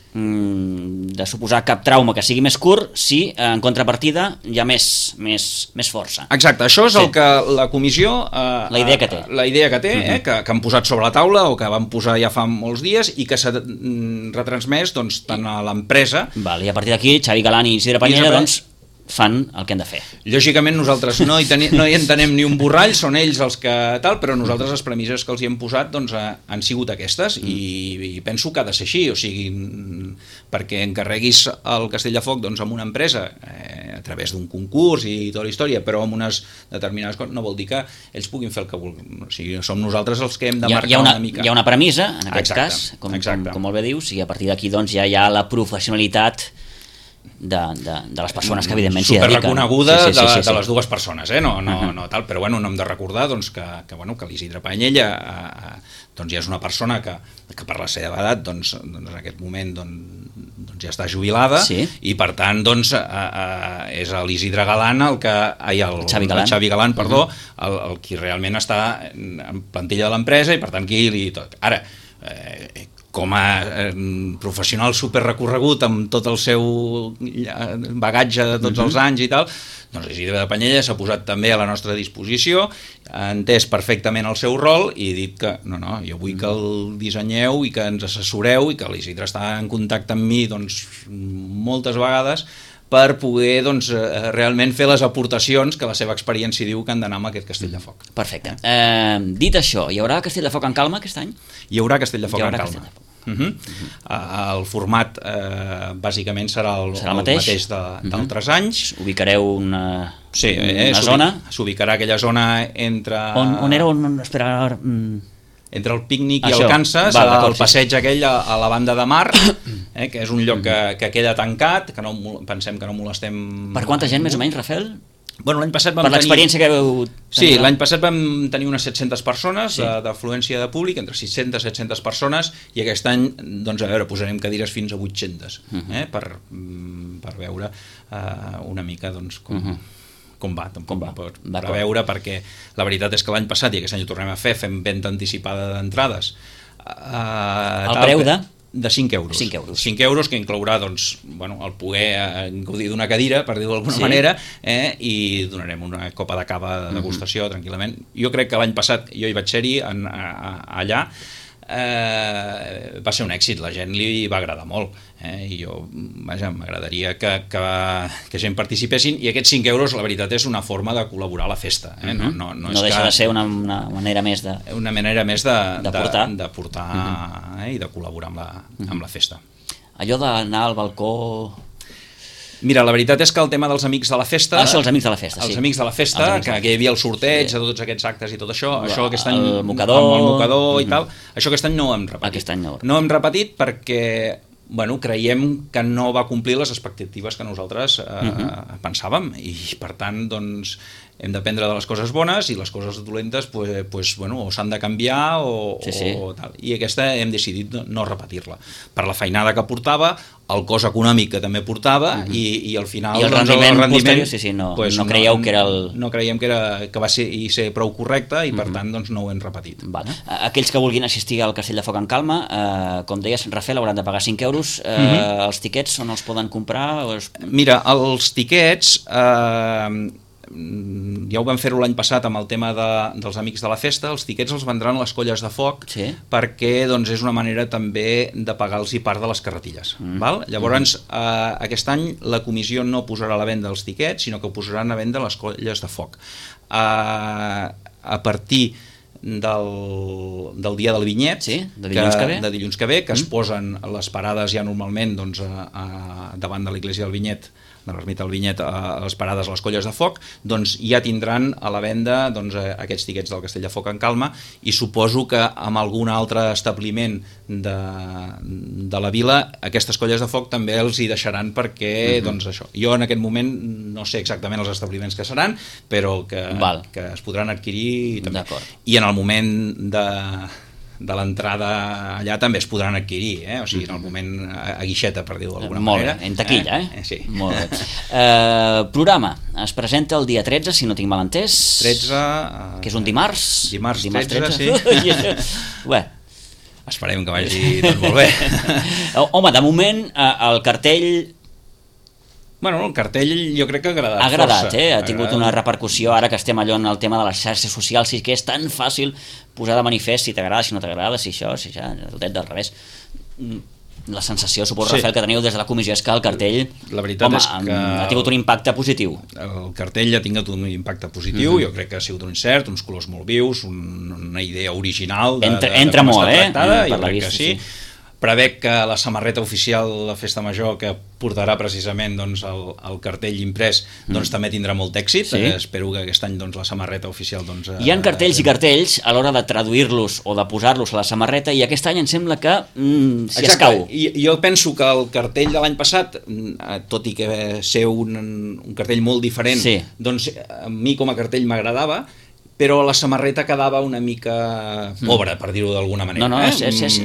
Speaker 2: de suposar cap trauma que sigui més curt si en contrapartida hi ha més, més, més força.
Speaker 3: Exacte, això és sí. el que la comissió eh,
Speaker 2: la idea que té,
Speaker 3: la idea que, té uh-huh. eh, que, que han posat sobre la taula o que van posar ja fa molts dies i que s'ha retransmès doncs, tant a l'empresa.
Speaker 2: Val, i a partir d'aquí Xavi Galán i Isidre Pañella doncs fan el que han de fer.
Speaker 3: Lògicament nosaltres no hi, teni, no hi entenem ni un borrall, són ells els que tal, però nosaltres les premisses que els hi hem posat doncs, han sigut aquestes i, i penso que ha de ser així, o sigui, perquè encarreguis el Castell de Foc doncs, amb una empresa eh, a través d'un concurs i tota la història, però amb unes determinades coses, no vol dir que ells puguin fer el que vulguin. O sigui, som nosaltres els que hem de marcar
Speaker 2: hi ha una,
Speaker 3: una mica.
Speaker 2: Hi ha una premissa, en aquest
Speaker 3: exacte,
Speaker 2: cas, com,
Speaker 3: exacte.
Speaker 2: com, com molt bé dius, i a partir d'aquí doncs, ja hi ha la professionalitat De, de, de les persones que evidentment s'hi dediquen.
Speaker 3: Superreconeguda
Speaker 2: sí, sí, sí,
Speaker 3: de,
Speaker 2: sí, sí.
Speaker 3: de les dues persones, eh? no, no,
Speaker 2: uh-huh.
Speaker 3: no tal, però bueno, no hem de recordar doncs, que, que, bueno, que l'Isidre Pañella eh, doncs, ja és una persona que, que per la seva edat doncs, doncs, en aquest moment doncs, doncs ja està jubilada
Speaker 2: sí. i
Speaker 3: per tant doncs, eh, eh, és l'Isidre Galán el que ai, el,
Speaker 2: Xavi Galán,
Speaker 3: el Xavi Galán perdó, uh-huh. el, el qui realment està en plantilla de l'empresa i per tant qui li tot. Ara, eh, com a eh, professional superrecorregut amb tot el seu bagatge de tots uh-huh. els anys i tal, doncs Isidre de Pañella s'ha posat també a la nostra disposició, ha entès perfectament el seu rol i ha dit que no, no, jo vull que el dissenyeu i que ens assessoreu i que l'Isidre està en contacte amb mi doncs, moltes vegades per poder doncs, realment fer les aportacions que la seva experiència diu que han d'anar amb aquest Castell de Foc.
Speaker 2: Perfecte. Eh, dit això, hi haurà Castell de Foc en calma aquest any?
Speaker 3: Hi haurà Castell de Foc en calma.
Speaker 2: Castell de Foc.
Speaker 3: Uh-huh. Uh-huh. El format eh, bàsicament serà el,
Speaker 2: serà el
Speaker 3: mateix, el mateix de, d'altres uh-huh. anys.
Speaker 2: Ubicareu una,
Speaker 3: sí, eh,
Speaker 2: una zona?
Speaker 3: S'ubicarà aquella zona entre...
Speaker 2: On, on era? On, espera... Mm.
Speaker 3: Entre el pícnic i
Speaker 2: Això.
Speaker 3: el Kansas,
Speaker 2: Val,
Speaker 3: el passeig aquell a, a la banda de mar, eh, que és un lloc que, que queda tancat, que no, pensem que no molestem...
Speaker 2: Per quanta gent més o menys, Rafael?
Speaker 3: Bueno, l'any passat vam
Speaker 2: per l'experiència
Speaker 3: tenir...
Speaker 2: que veu tenir...
Speaker 3: Sí, l'any passat vam tenir unes set-centes persones
Speaker 2: sí.
Speaker 3: d'afluència de públic, entre sis-centes i set-centes persones, i aquest any, doncs a veure, posarem cadires fins a vuit-centes, uh-huh. eh, per, per veure uh, una mica doncs, com, uh-huh. com va, com va. Per, per veure, perquè la veritat és que l'any passat, i aquest any ho tornem a fer, fem venda anticipada d'entrades. Uh,
Speaker 2: El preu de?
Speaker 3: De cinc euros.
Speaker 2: cinc euros.
Speaker 3: cinc euros que inclourà doncs, bueno, el poder eh, gaudir d'una cadira, per dir-ho d'alguna sí. manera, eh, i donarem una copa de cava de degustació mm-hmm. tranquil·lament. Jo crec que l'any passat jo hi vaig ser-hi en, a, a, allà, eh, va ser un èxit, la gent li va agradar molt, eh, i jo, vaja, m'agradaria que, que, que gent participessin, i aquests cinc euros, la veritat, és una forma de col·laborar a la festa. Eh? No, no, no,
Speaker 2: no
Speaker 3: és
Speaker 2: deixa
Speaker 3: que,
Speaker 2: de ser una, una manera més de...
Speaker 3: Una manera més de,
Speaker 2: de portar,
Speaker 3: de, de portar uh-huh. eh, i de col·laborar amb la, uh-huh. amb la festa.
Speaker 2: Allò d'anar al balcó...
Speaker 3: Mira, la veritat és que el tema dels amics de la festa...
Speaker 2: Ah, això, els amics de la festa,
Speaker 3: els
Speaker 2: sí.
Speaker 3: amics de la festa, que, que hi havia el sorteig sí. de tots aquests actes i tot això,
Speaker 2: el,
Speaker 3: això aquest any...
Speaker 2: El mocador...
Speaker 3: Amb el mocador
Speaker 2: mm-hmm.
Speaker 3: i tal, això aquest any no ho hem repetit.
Speaker 2: Aquest any no.
Speaker 3: No ho hem repetit perquè, bueno, creiem que no va complir les expectatives que nosaltres eh, mm-hmm. pensàvem, i per tant, doncs, hem d'aprendre de les coses bones i les coses dolentes pues, pues, bueno, o s'han de canviar o,
Speaker 2: sí, sí.
Speaker 3: o tal. I aquesta hem decidit no, no repetir-la. Per la feinada que portava, el cost econòmic que també portava uh-huh. i, i al final...
Speaker 2: I el
Speaker 3: doncs,
Speaker 2: rendiment,
Speaker 3: el rendiment
Speaker 2: posterior, sí, sí, no,
Speaker 3: pues,
Speaker 2: no creieu que era el...
Speaker 3: No creiem que, era, que va ser, i ser prou correcte i per uh-huh. tant doncs, no ho hem repetit.
Speaker 2: Val. Aquells que vulguin assistir al Castell de Foc en calma, eh, com deies, Rafael, hauran de pagar cinc euros. Eh, uh-huh. Els tiquets on els poden comprar? O es...
Speaker 3: Mira, els tiquets... Eh, ja ho vam fer-ho l'any passat amb el tema de, dels amics de la festa, els tiquets els vendran les colles de foc
Speaker 2: sí.
Speaker 3: perquè doncs, és una manera també de pagar-los part de les carretilles. Mm. Val? Llavors, mm. eh, aquest any la comissió no posarà a la venda els tiquets, sinó que posaran a venda les colles de foc. Eh, a partir del, del dia del vinyet,
Speaker 2: sí, de dilluns que, que ve,
Speaker 3: de dilluns que, ve, que mm. es posen les parades ja normalment doncs, a, a, davant de l'església del Vinyet, de l'ermita del Vinyet, a les parades a les colles de foc, doncs ja tindran a la venda doncs, aquests tiquets del Castell de Foc en calma, i suposo que amb algun altre establiment de, de la vila aquestes colles de foc també els hi deixaran perquè, uh-huh. doncs això, jo en aquest moment no sé exactament els establiments que seran, però que, que es podran adquirir també. I en el moment de... de l'entrada allà també es podran adquirir, eh? O sigui, en el moment a guixeta, per dir-ho d'alguna manera.
Speaker 2: Molt bé, en taquilla, eh?
Speaker 3: eh? Sí.
Speaker 2: Molt bé. Eh, programa, es presenta el dia tretze, si no tinc mal entès.
Speaker 3: tretze... Uh,
Speaker 2: que és un dimarts.
Speaker 3: Dimarts, dimarts tretze, tretze, sí.
Speaker 2: Bé.
Speaker 3: Esperem que vagi tot molt bé.
Speaker 2: Home, de moment, el cartell...
Speaker 3: Bueno, el cartell jo crec que ha agradat,
Speaker 2: ha agradat
Speaker 3: força.
Speaker 2: Eh? Ha tingut una repercussió ara que estem allò en el tema de les xarxes socials, i que és tan fàcil posar de manifest si t'agrada, si no t'agrada, si això, si ja, el dret del revés. La sensació, suposo, sí. Rafael, que teniu des de la comissió és que el cartell
Speaker 3: la veritat
Speaker 2: home,
Speaker 3: és que
Speaker 2: ha tingut un impacte positiu.
Speaker 3: El cartell ha tingut un impacte positiu, mm-hmm. jo crec que ha sigut un encert, uns colors molt vius, un, una idea original de,
Speaker 2: entra,
Speaker 3: de, de
Speaker 2: entra
Speaker 3: com
Speaker 2: molt,
Speaker 3: està
Speaker 2: eh?
Speaker 3: tractada,
Speaker 2: Mm,
Speaker 3: jo crec
Speaker 2: vista,
Speaker 3: que sí. sí. Prevec que la samarreta oficial de la Festa Major, que portarà precisament doncs, el, el cartell imprès, doncs, mm. també tindrà molt èxit. Sí. Eh, espero que aquest any doncs, la samarreta oficial... Doncs,
Speaker 2: Hi ha cartells eh, i cartells a l'hora de traduir-los o de posar-los a la samarreta, i aquest any em sembla que mm, s'hi escau.
Speaker 3: I jo penso que el cartell de l'any passat, tot i que ser un, un cartell molt diferent, sí. doncs a mi com a cartell m'agradava, però la samarreta quedava una mica pobra, per dir-ho d'alguna manera.
Speaker 2: No, no,
Speaker 3: eh?
Speaker 2: és, és, és,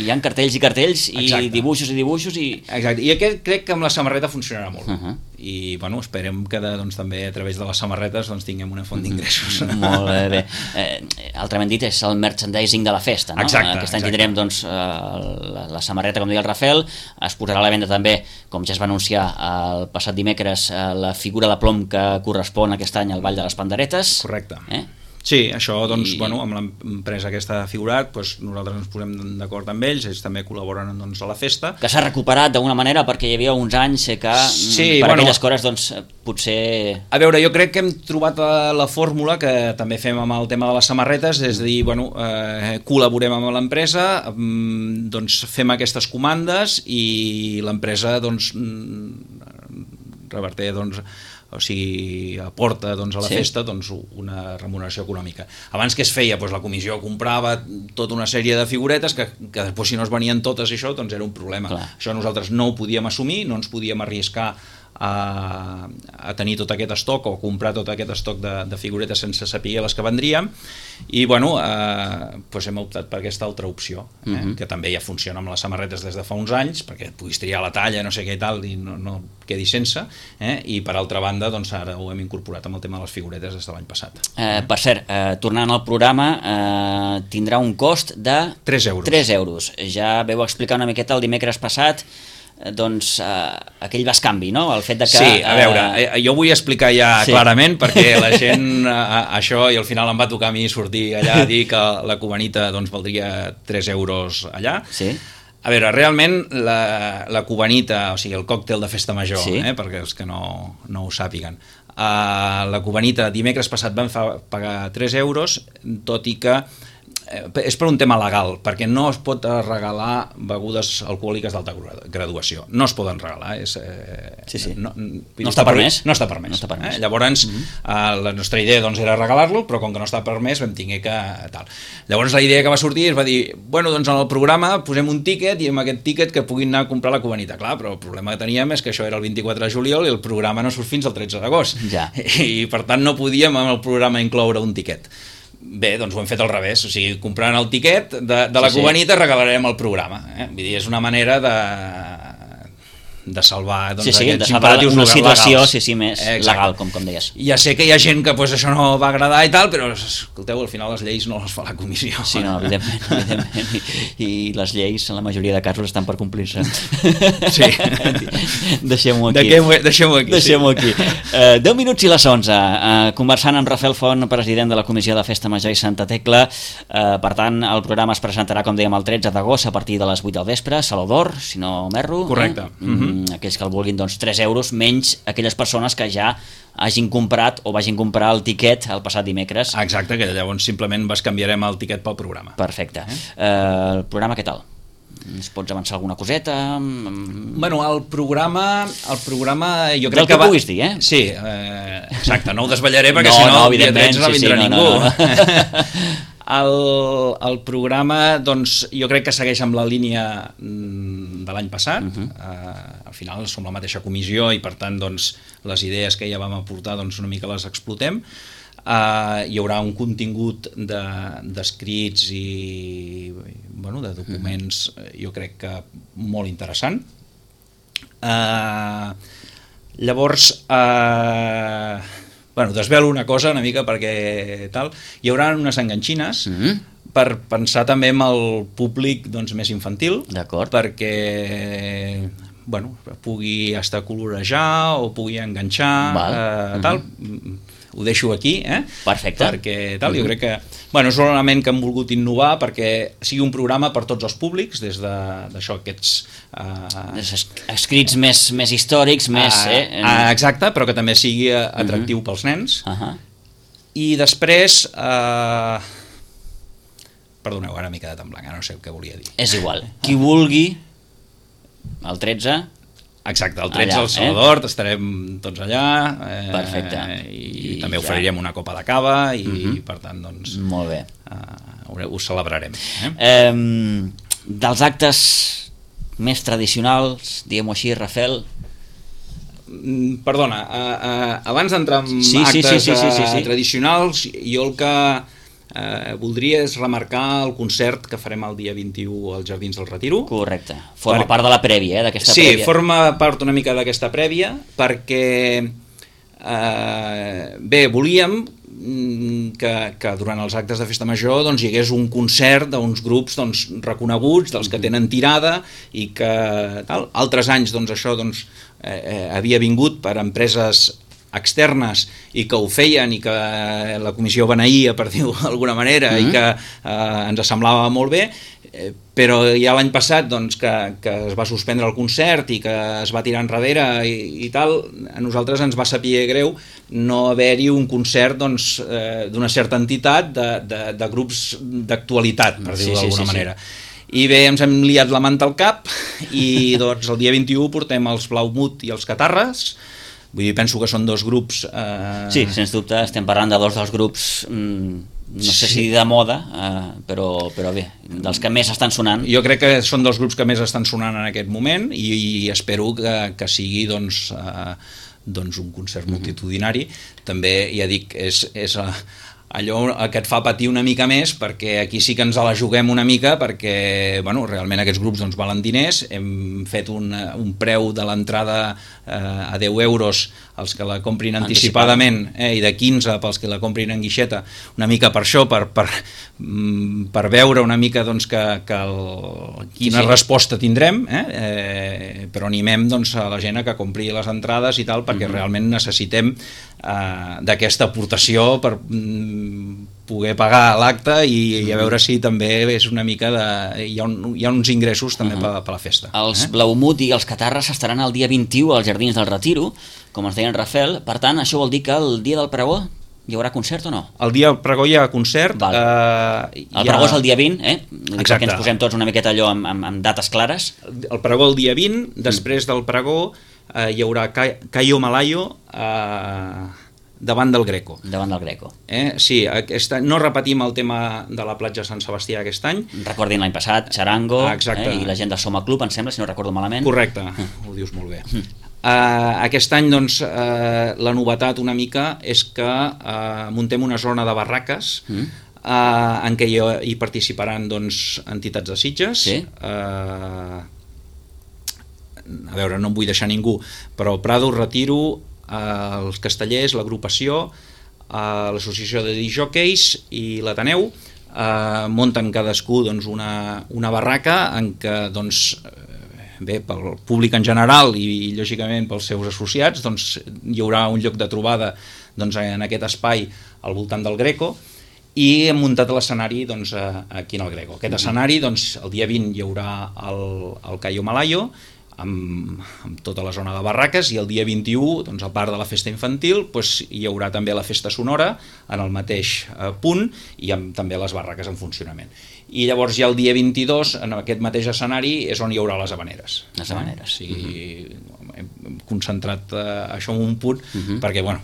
Speaker 2: hi ha cartells i cartells, i Exacte. dibuixos i dibuixos, i...
Speaker 3: Exacte, i aquest crec que amb la samarreta funcionarà molt. Uh -huh. I, bueno, esperem que doncs, també a través de les samarretes doncs, tinguem una font d'ingressos.
Speaker 2: Uh -huh. Molt bé, bé. Eh, altrament dit, és el merchandising de la festa, no?
Speaker 3: Exacte,
Speaker 2: Aquest any
Speaker 3: exacte.
Speaker 2: tindrem doncs, la, la samarreta, com deia el Rafael, es posarà a la venda també, com ja es va anunciar el passat dimecres, la figura de plom que correspon aquest any al Ball de les Panderetes.
Speaker 3: Correcte.
Speaker 2: Eh?
Speaker 3: Sí, això, doncs,
Speaker 2: I...
Speaker 3: bueno, amb l'empresa aquesta figurat, doncs, nosaltres ens posem d'acord amb ells, ells també col·laboren doncs, a la festa.
Speaker 2: Que s'ha recuperat d'alguna manera, perquè hi havia uns anys que
Speaker 3: sí,
Speaker 2: per
Speaker 3: bueno,
Speaker 2: aquelles coses, doncs, potser...
Speaker 3: A veure, jo crec que hem trobat la, la fórmula que també fem amb el tema de les samarretes, és a dir, bueno, eh, col·laborem amb l'empresa, doncs fem aquestes comandes i l'empresa, doncs, reverté, doncs, o sigui, aporta doncs, a la sí. festa doncs, una remuneració econòmica. Abans que es feia, doncs, la comissió comprava tota una sèrie de figuretes que, que després si no es venien totes i això doncs era un problema. Clar. Això nosaltres no ho podíem assumir, no ens podíem arriscar a, a tenir tot aquest estoc o comprar tot aquest estoc de, de figuretes sense saber les que vendríem, i bueno, eh, doncs hem optat per aquesta altra opció, eh, uh-huh. que també ja funciona amb les samarretes des de fa uns anys, perquè et puguis triar la talla, no sé què i tal, i no, no quedi sense, eh, i per altra banda doncs ara ho hem incorporat amb el tema de les figuretes des de l'any passat.
Speaker 2: Eh, per cert, eh, tornant al programa, eh, tindrà un cost de
Speaker 3: tres euros.
Speaker 2: tres euros. Ja veu explicar una miqueta el dimecres passat, doncs eh, aquell bescanvi, no? El fet de que...
Speaker 3: Sí, a veure, eh, jo vull explicar ja sí. clarament, perquè la gent a, a això, i al final em va tocar a mi sortir allà a dir que la cubanita doncs, valdria tres euros allà.
Speaker 2: Sí.
Speaker 3: A veure, realment la, la cubanita, o sigui, el còctel de festa major, sí. eh, perquè els que no, no ho sàpiguen, uh, la cubanita dimecres passat van fa, pagar tres euros, tot i que és per un tema legal, perquè no es pot regalar begudes alcohòliques d'alta graduació. No es poden regalar. És, eh,
Speaker 2: sí, sí.
Speaker 3: No,
Speaker 2: no està permès.
Speaker 3: No està permès.
Speaker 2: No està permès.
Speaker 3: Eh? Llavors, uh-huh. eh, la nostra idea doncs, era regalar-lo, però com que no està permès vam tinguer que... Tal. Llavors la idea que va sortir es va dir, bueno, doncs en el programa posem un tíquet i amb aquest tíquet que puguin anar a comprar la cubanita. Clar, però el problema que teníem és que això era el vint-i-quatre de juliol i el programa no surt fins al tretze d'agost.
Speaker 2: Ja.
Speaker 3: I per tant no podíem en el programa incloure un tíquet. Bé, doncs ho hem fet al revés, o sigui, comprant el tiquet de, de la sí, cubanita sí. regalarem el programa, eh? Vull dir, és una manera de, de salvar doncs,
Speaker 2: sí, sí,
Speaker 3: aquests
Speaker 2: de salvar
Speaker 3: imperatius
Speaker 2: una situació
Speaker 3: legals.
Speaker 2: Sí, sí, més Exacte. legal, com, com deies.
Speaker 3: Ja sé que hi ha gent que pues, això no va agradar i tal, però escolteu, al final les lleis no les fa la comissió.
Speaker 2: Sí, no, evidentment, evidentment. I, i les lleis en la majoria de casos estan per complir-se.
Speaker 3: Sí.
Speaker 2: Deixem-ho aquí.
Speaker 3: Deixem-ho aquí.
Speaker 2: Deixem-ho
Speaker 3: sí.
Speaker 2: aquí. Uh, deu minuts i les onze. Uh, conversant amb Rafael Font, president de la Comissió de Festa Major i Santa Tecla. Uh, per tant, el programa es presentarà, com dèiem, el tretze d'agost a partir de les vuit del vespre, Saló d'Or, si no m'erro.
Speaker 3: Correcte.
Speaker 2: Eh? Mm-hmm. Aquells que el vulguin, doncs tres euros, menys aquelles persones que ja hagin comprat o vagin comprar el tiquet el passat dimecres.
Speaker 3: Exacte, que llavors simplement canviarem el tiquet pel programa.
Speaker 2: Perfecte. Eh? Uh, el programa què tal? Ens pots avançar alguna coseta?
Speaker 3: Bueno, el programa, el programa jo crec
Speaker 2: Del que,
Speaker 3: que va...
Speaker 2: puguis dir, eh?
Speaker 3: Sí, eh, exacte, no ho desvetllaré perquè
Speaker 2: no,
Speaker 3: si no,
Speaker 2: no,
Speaker 3: el dia tretze no
Speaker 2: sí,
Speaker 3: vindrà
Speaker 2: sí,
Speaker 3: ningú.
Speaker 2: No, no, no.
Speaker 3: El, el programa, doncs, jo crec que segueix amb la línia de l'any passat. Uh-huh. uh, al final som la mateixa comissió i per tant doncs, les idees que ja vam aportar doncs, una mica les explotem. Uh, hi haurà un contingut d'escrits de, i bueno, de documents, uh-huh. jo crec que molt interessant. Uh, llavors... Uh, Bueno, desvelo una cosa una mica perquè tal, hi haurà unes enganxines, mm-hmm. per pensar també en el públic doncs, més infantil,
Speaker 2: D'acord.
Speaker 3: perquè bueno, pugui estar a colorejar o pugui enganxar,
Speaker 2: Val.
Speaker 3: eh, tal, ho deixo aquí, eh?
Speaker 2: Perfecte.
Speaker 3: Perquè tal, jo crec que bueno, és un element que hem volgut innovar perquè sigui un programa per tots els públics, des de- d'això, aquests... Eh,
Speaker 2: Es- escrits més, més històrics, més...
Speaker 3: ah,
Speaker 2: Eh, en-
Speaker 3: ah, exacte, però que també sigui eh, atractiu pels nens.
Speaker 2: Ahà.
Speaker 3: I després... Eh, perdoneu, ara m'he quedat en blanc, ara no sé què volia dir.
Speaker 2: És igual. Qui vulgui, el tretze...
Speaker 3: Exacte, el tretze
Speaker 2: Allà,
Speaker 3: al Salvador, eh? estarem tots allà, eh,
Speaker 2: Perfecte.
Speaker 3: i,
Speaker 2: I
Speaker 3: també
Speaker 2: ja.
Speaker 3: oferirem una copa de cava i,
Speaker 2: Mhm.
Speaker 3: per tant, doncs,
Speaker 2: Molt bé.
Speaker 3: eh, ho, ho celebrarem. Eh?
Speaker 2: Eh, dels actes més tradicionals, diguem-ho així, Rafel...
Speaker 3: Mm, Perdona, eh, eh, abans d'entrar en
Speaker 2: Sí, sí,
Speaker 3: actes
Speaker 2: sí, sí, sí, sí, sí.
Speaker 3: eh, tradicionals, jo el que eh, voldria és remarcar el concert que farem el dia vint-i-u als Jardins del Retiro.
Speaker 2: Correcte. Forma
Speaker 3: Per-
Speaker 2: part de la prèvia, eh, d'aquesta
Speaker 3: Sí,
Speaker 2: prèvia.
Speaker 3: forma part una mica d'aquesta prèvia, perquè eh, bé, volíem mm, que, que durant els actes de Festa Major doncs, hi hagués un concert d'uns grups doncs, reconeguts, dels que tenen tirada i que tal. Altres anys doncs, això doncs, eh, eh, havia vingut per empreses externes i que ho feien i que la comissió beneïa, per dir-ho d'alguna manera,
Speaker 2: Mm-hmm.
Speaker 3: i que eh, ens semblava molt bé, eh, però ja l'any passat doncs, que, que es va suspendre el concert i que es va tirar enrere i, i tal, a nosaltres ens va saber greu no haver-hi un concert doncs, eh, d'una certa entitat de, de, de grups d'actualitat, per
Speaker 2: Sí,
Speaker 3: dir-ho
Speaker 2: sí,
Speaker 3: d'alguna
Speaker 2: sí, sí.
Speaker 3: manera. I bé, ens hem liat la manta al cap i doncs el dia vint-i-u portem els Blaumut i els Catarres. Vull dir, penso que són dos grups... Eh...
Speaker 2: Sí, sens dubte, estem parlant de dos dels grups, mm, no sé
Speaker 3: Sí.
Speaker 2: si de moda, eh, però, però bé, dels que més estan sonant.
Speaker 3: Jo crec que són dels grups que més estan sonant en aquest moment i, i espero que, que sigui doncs, eh, doncs un concert multitudinari. També, ja dic, és, és eh, allò que et fa patir una mica més, perquè aquí sí que ens la juguem una mica, perquè bueno, realment aquests grups doncs, valen diners. Hem fet un, un preu de l'entrada eh, a deu euros els que la comprin anticipadament, eh, i de quinze pels que la comprin en guixeta, una mica per això, per, per, mm, per veure una mica doncs, que, que el, quina
Speaker 2: Sí, sí.
Speaker 3: resposta tindrem, eh? Eh, però animem doncs, a la gent a que compri les entrades i tal, perquè
Speaker 2: Mhm.
Speaker 3: realment necessitem eh, d'aquesta aportació per mm, poder pagar l'acte i, i a veure si també és una mica de... hi ha, un, hi ha uns ingressos també
Speaker 2: Mhm.
Speaker 3: per, per la festa.
Speaker 2: Els
Speaker 3: eh?
Speaker 2: Blaumut i els Catarres estaran el dia vint-i-u als Jardins del Retiro, com ens deia en Rafel. Per tant, això vol dir que el dia del pregó hi haurà concert o no?
Speaker 3: El dia del pregó hi ha concert.
Speaker 2: Val.
Speaker 3: Eh, hi
Speaker 2: El pregó és el dia vint, eh?
Speaker 3: Exacte.
Speaker 2: Perquè ens posem tots una miqueta allò amb, amb, amb dates clares.
Speaker 3: El pregó el dia vint, després del pregó eh, hi haurà Ca- Cayo Malayo eh, davant del Greco.
Speaker 2: Davant del Greco.
Speaker 3: Eh? Sí, aquest any, no repetim el tema de la platja Sant Sebastià aquest any.
Speaker 2: Recordin l'any passat, Charango,
Speaker 3: Ah, exacte.
Speaker 2: eh? I la gent del Soma Club, em sembla, si no recordo malament.
Speaker 3: Correcte, ho dius molt bé. Uh, aquest any doncs, uh, la novetat una mica és que uh, muntem una zona de barraques
Speaker 2: Mm.
Speaker 3: uh, en què hi, hi participaran doncs, entitats de Sitges.
Speaker 2: Sí.
Speaker 3: Uh, a veure, no em vull deixar ningú, però Prado, Retiro, uh, els Castellers, l'agrupació, uh, l'associació de disjòqueis i l'Ateneu uh, munten cadascú doncs, una, una barraca en què doncs, bé, pel públic en general i, i lògicament pels seus associats doncs, hi haurà un lloc de trobada doncs, en aquest espai al voltant del Greco i hem muntat l'escenari doncs, aquí en el Greco. Aquest escenari, doncs, el dia vint hi haurà el, el Cayo Malayo amb, amb tota la zona de barraques i el dia vint-i-u, doncs, a part de la festa infantil, doncs, hi haurà també la festa sonora en el mateix eh, punt i amb també les barraques en funcionament. I llavors ja el dia vint-i-dos, en aquest mateix escenari, és on hi haurà les havaneres.
Speaker 2: Les havaneres.
Speaker 3: Eh? O sigui, hem concentrat eh, això en un punt,
Speaker 2: Mhm.
Speaker 3: perquè, bueno,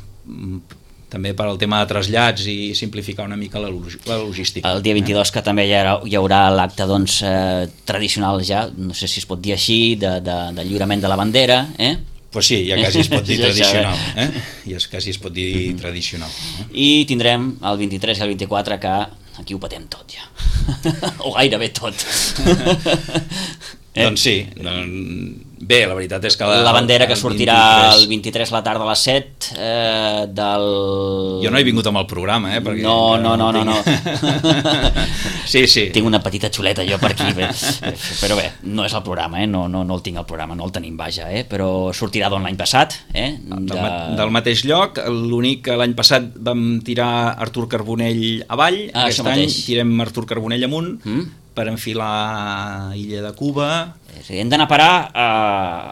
Speaker 3: també per al tema de trasllats i simplificar una mica la, log la logística.
Speaker 2: El dia vint-i-dos que també hi haurà, hi haurà l'acte doncs, eh, tradicional ja, no sé si es pot dir així, de, de, de lliurament de la bandera, eh?
Speaker 3: Pues sí, ja quasi es pot dir
Speaker 2: Ja
Speaker 3: tradicional.
Speaker 2: sabem.
Speaker 3: Eh? Ja quasi es pot dir tradicional. Eh?
Speaker 2: I tindrem el vint-i-tres i el vint-i-quatre que aquí ho patem tot ja. O gairebé tot.
Speaker 3: Eh? Doncs sí, doncs, Bé, la veritat és que... La,
Speaker 2: la bandera que
Speaker 3: el
Speaker 2: sortirà
Speaker 3: vint-i-tres...
Speaker 2: el vint-i-tres a la tarda a les set eh, del...
Speaker 3: Jo no he vingut amb el programa, eh? Perquè
Speaker 2: no, no, no, no, no.
Speaker 3: Sí, sí.
Speaker 2: Tinc una petita xuleta jo per aquí, bé. Però bé, no és el programa, eh? no, no, no el tinc al programa, no el tenim, vaja, eh? Però sortirà d'on l'any passat. Eh? De...
Speaker 3: Del, del mateix lloc, l'únic que l'any passat vam tirar Artur Carbonell avall,
Speaker 2: ah,
Speaker 3: aquest any
Speaker 2: mateix.
Speaker 3: tirem Artur Carbonell amunt,
Speaker 2: mm?
Speaker 3: per enfilar Illa de Cuba.
Speaker 2: Sí, hem d'anar a parar a...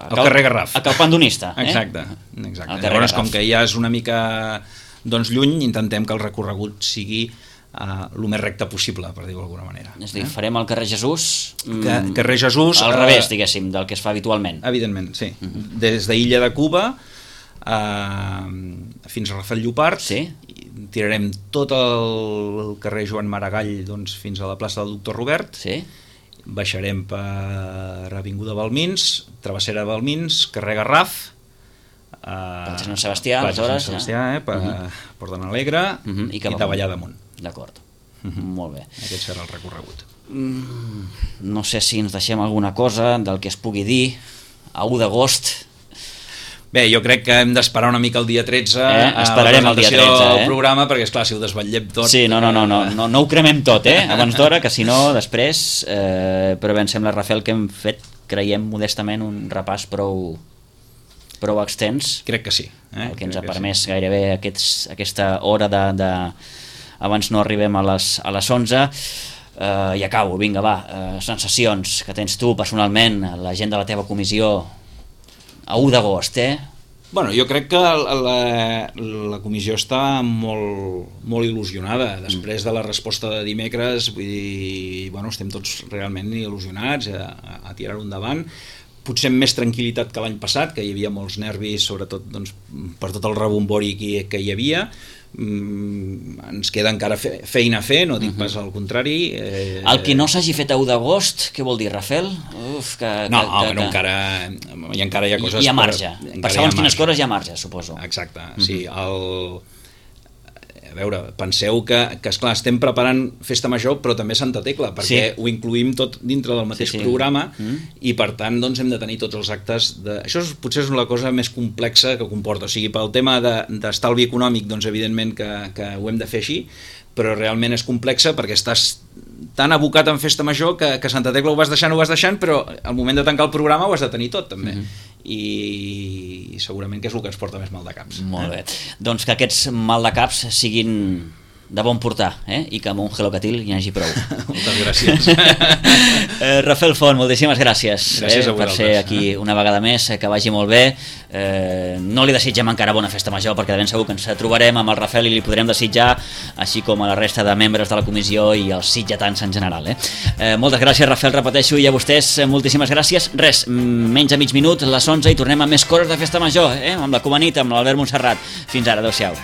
Speaker 3: al cal... carrer Garraf.
Speaker 2: A Cal Pandonista. Eh?
Speaker 3: Exacte, exacte.
Speaker 2: Llavors,
Speaker 3: com que ja és una mica doncs, lluny, intentem que el recorregut sigui uh, el més recte possible, per dir-ho d'alguna manera.
Speaker 2: És a dir, eh? farem el carrer Jesús...
Speaker 3: Que, carrer Jesús...
Speaker 2: Al revés, uh, diguéssim, del que es fa habitualment.
Speaker 3: Evidentment, sí.
Speaker 2: Uh-huh.
Speaker 3: Des d'Illa de Cuba uh, fins a Rafel Llopart,
Speaker 2: sí.
Speaker 3: tirarem tot el carrer Joan Maragall doncs, fins a la plaça del Doctor Robert,
Speaker 2: sí.
Speaker 3: baixarem per Avinguda Balmins, Travessera Balmins, carrer Garraf,
Speaker 2: per Sant Sebastià, aleshores,
Speaker 3: Sant Sebastià, eh, per uh-huh. Port de n'Alegre uh -huh. i, i davallar damunt.
Speaker 2: D'acord,
Speaker 3: uh -huh.
Speaker 2: molt bé.
Speaker 3: Aquest serà el recorregut.
Speaker 2: Mm, no sé si ens deixem alguna cosa del que es pugui dir a u d'agost.
Speaker 3: Bé, jo crec que hem d'esperar una mica el dia tretze
Speaker 2: eh? Esperarem el dia tretze, eh?
Speaker 3: del programa, perquè esclar, si ho desvetllem tot...
Speaker 2: Sí, no, no, no, no, no, no ho cremem tot, eh? Abans d'hora, que si no, després... Eh, però bé, em sembla, Rafael, que hem fet, creiem modestament, un repàs prou, prou extens.
Speaker 3: Crec que sí. Eh?
Speaker 2: El que ens
Speaker 3: crec
Speaker 2: ha permès
Speaker 3: sí.
Speaker 2: gairebé aquests, aquesta hora de, de... Abans no arribem a les, a les onze. Eh, I acabo, vinga, va. Eh, sensacions que tens tu personalment, la gent de la teva comissió... a u d'agost, eh?
Speaker 3: Bueno, jo crec que la, la comissió està molt, molt il·lusionada després de la resposta de dimecres, vull dir, bueno, estem tots realment il·lusionats a, a tirar-ho endavant, potser amb més tranquil·litat que l'any passat, que hi havia molts nervis, sobretot doncs, per tot el rebombori que, que hi havia. Mm, ens queda encara fe, feina a fer, no dic uh-huh. pas al contrari.
Speaker 2: Eh, el que no s'hagi fet a u d'agost, què vol dir, Rafel? Uf, que,
Speaker 3: no,
Speaker 2: que,
Speaker 3: no,
Speaker 2: que,
Speaker 3: bueno,
Speaker 2: que...
Speaker 3: encara, i encara hi ha coses...
Speaker 2: Hi ha marge,
Speaker 3: per,
Speaker 2: per segons quines coses hi ha marge, suposo.
Speaker 3: Exacte, uh-huh. sí, el... A veure, penseu que, que esclar, estem preparant Festa Major, però també Santa Tecla, perquè sí. ho incluïm tot dintre del mateix sí, sí. programa mm. i per tant doncs, hem de tenir tots els actes de... Això és, potser és la cosa més complexa que comporta, o sigui, pel tema d'estalvi de, econòmic, doncs evidentment que, que ho hem de fer així, però realment és complexa perquè estàs tan abocat en Festa Major que, que Santa Tecla ho vas deixant, ho vas deixant, però al moment de tancar el programa ho has de tenir tot també. Mm-hmm. I segurament que és el que ens porta més mal de caps.
Speaker 2: Molt bé. Doncs que aquests mal de caps siguin de bon portar, eh? I que amb un Hello Catil hi hagi prou.
Speaker 3: Moltes gràcies.
Speaker 2: eh, Rafael Font, moltíssimes gràcies,
Speaker 3: gràcies
Speaker 2: eh, per ser aquí una vegada més, eh, que vagi molt bé. Eh, no li desitgem encara bona Festa Major, perquè de ben segur que ens trobarem amb el Rafael i li podrem desitjar, així com a la resta de membres de la comissió i els sitgetans en general. Eh? Eh, moltes gràcies, Rafael, repeteixo, i a vostès eh, moltíssimes gràcies. Res, menys de mig minut, les onze, i tornem amb més coses de Festa Major, eh? Amb la Comanita, amb l'Albert Montserrat. Fins ara, adeu-siau.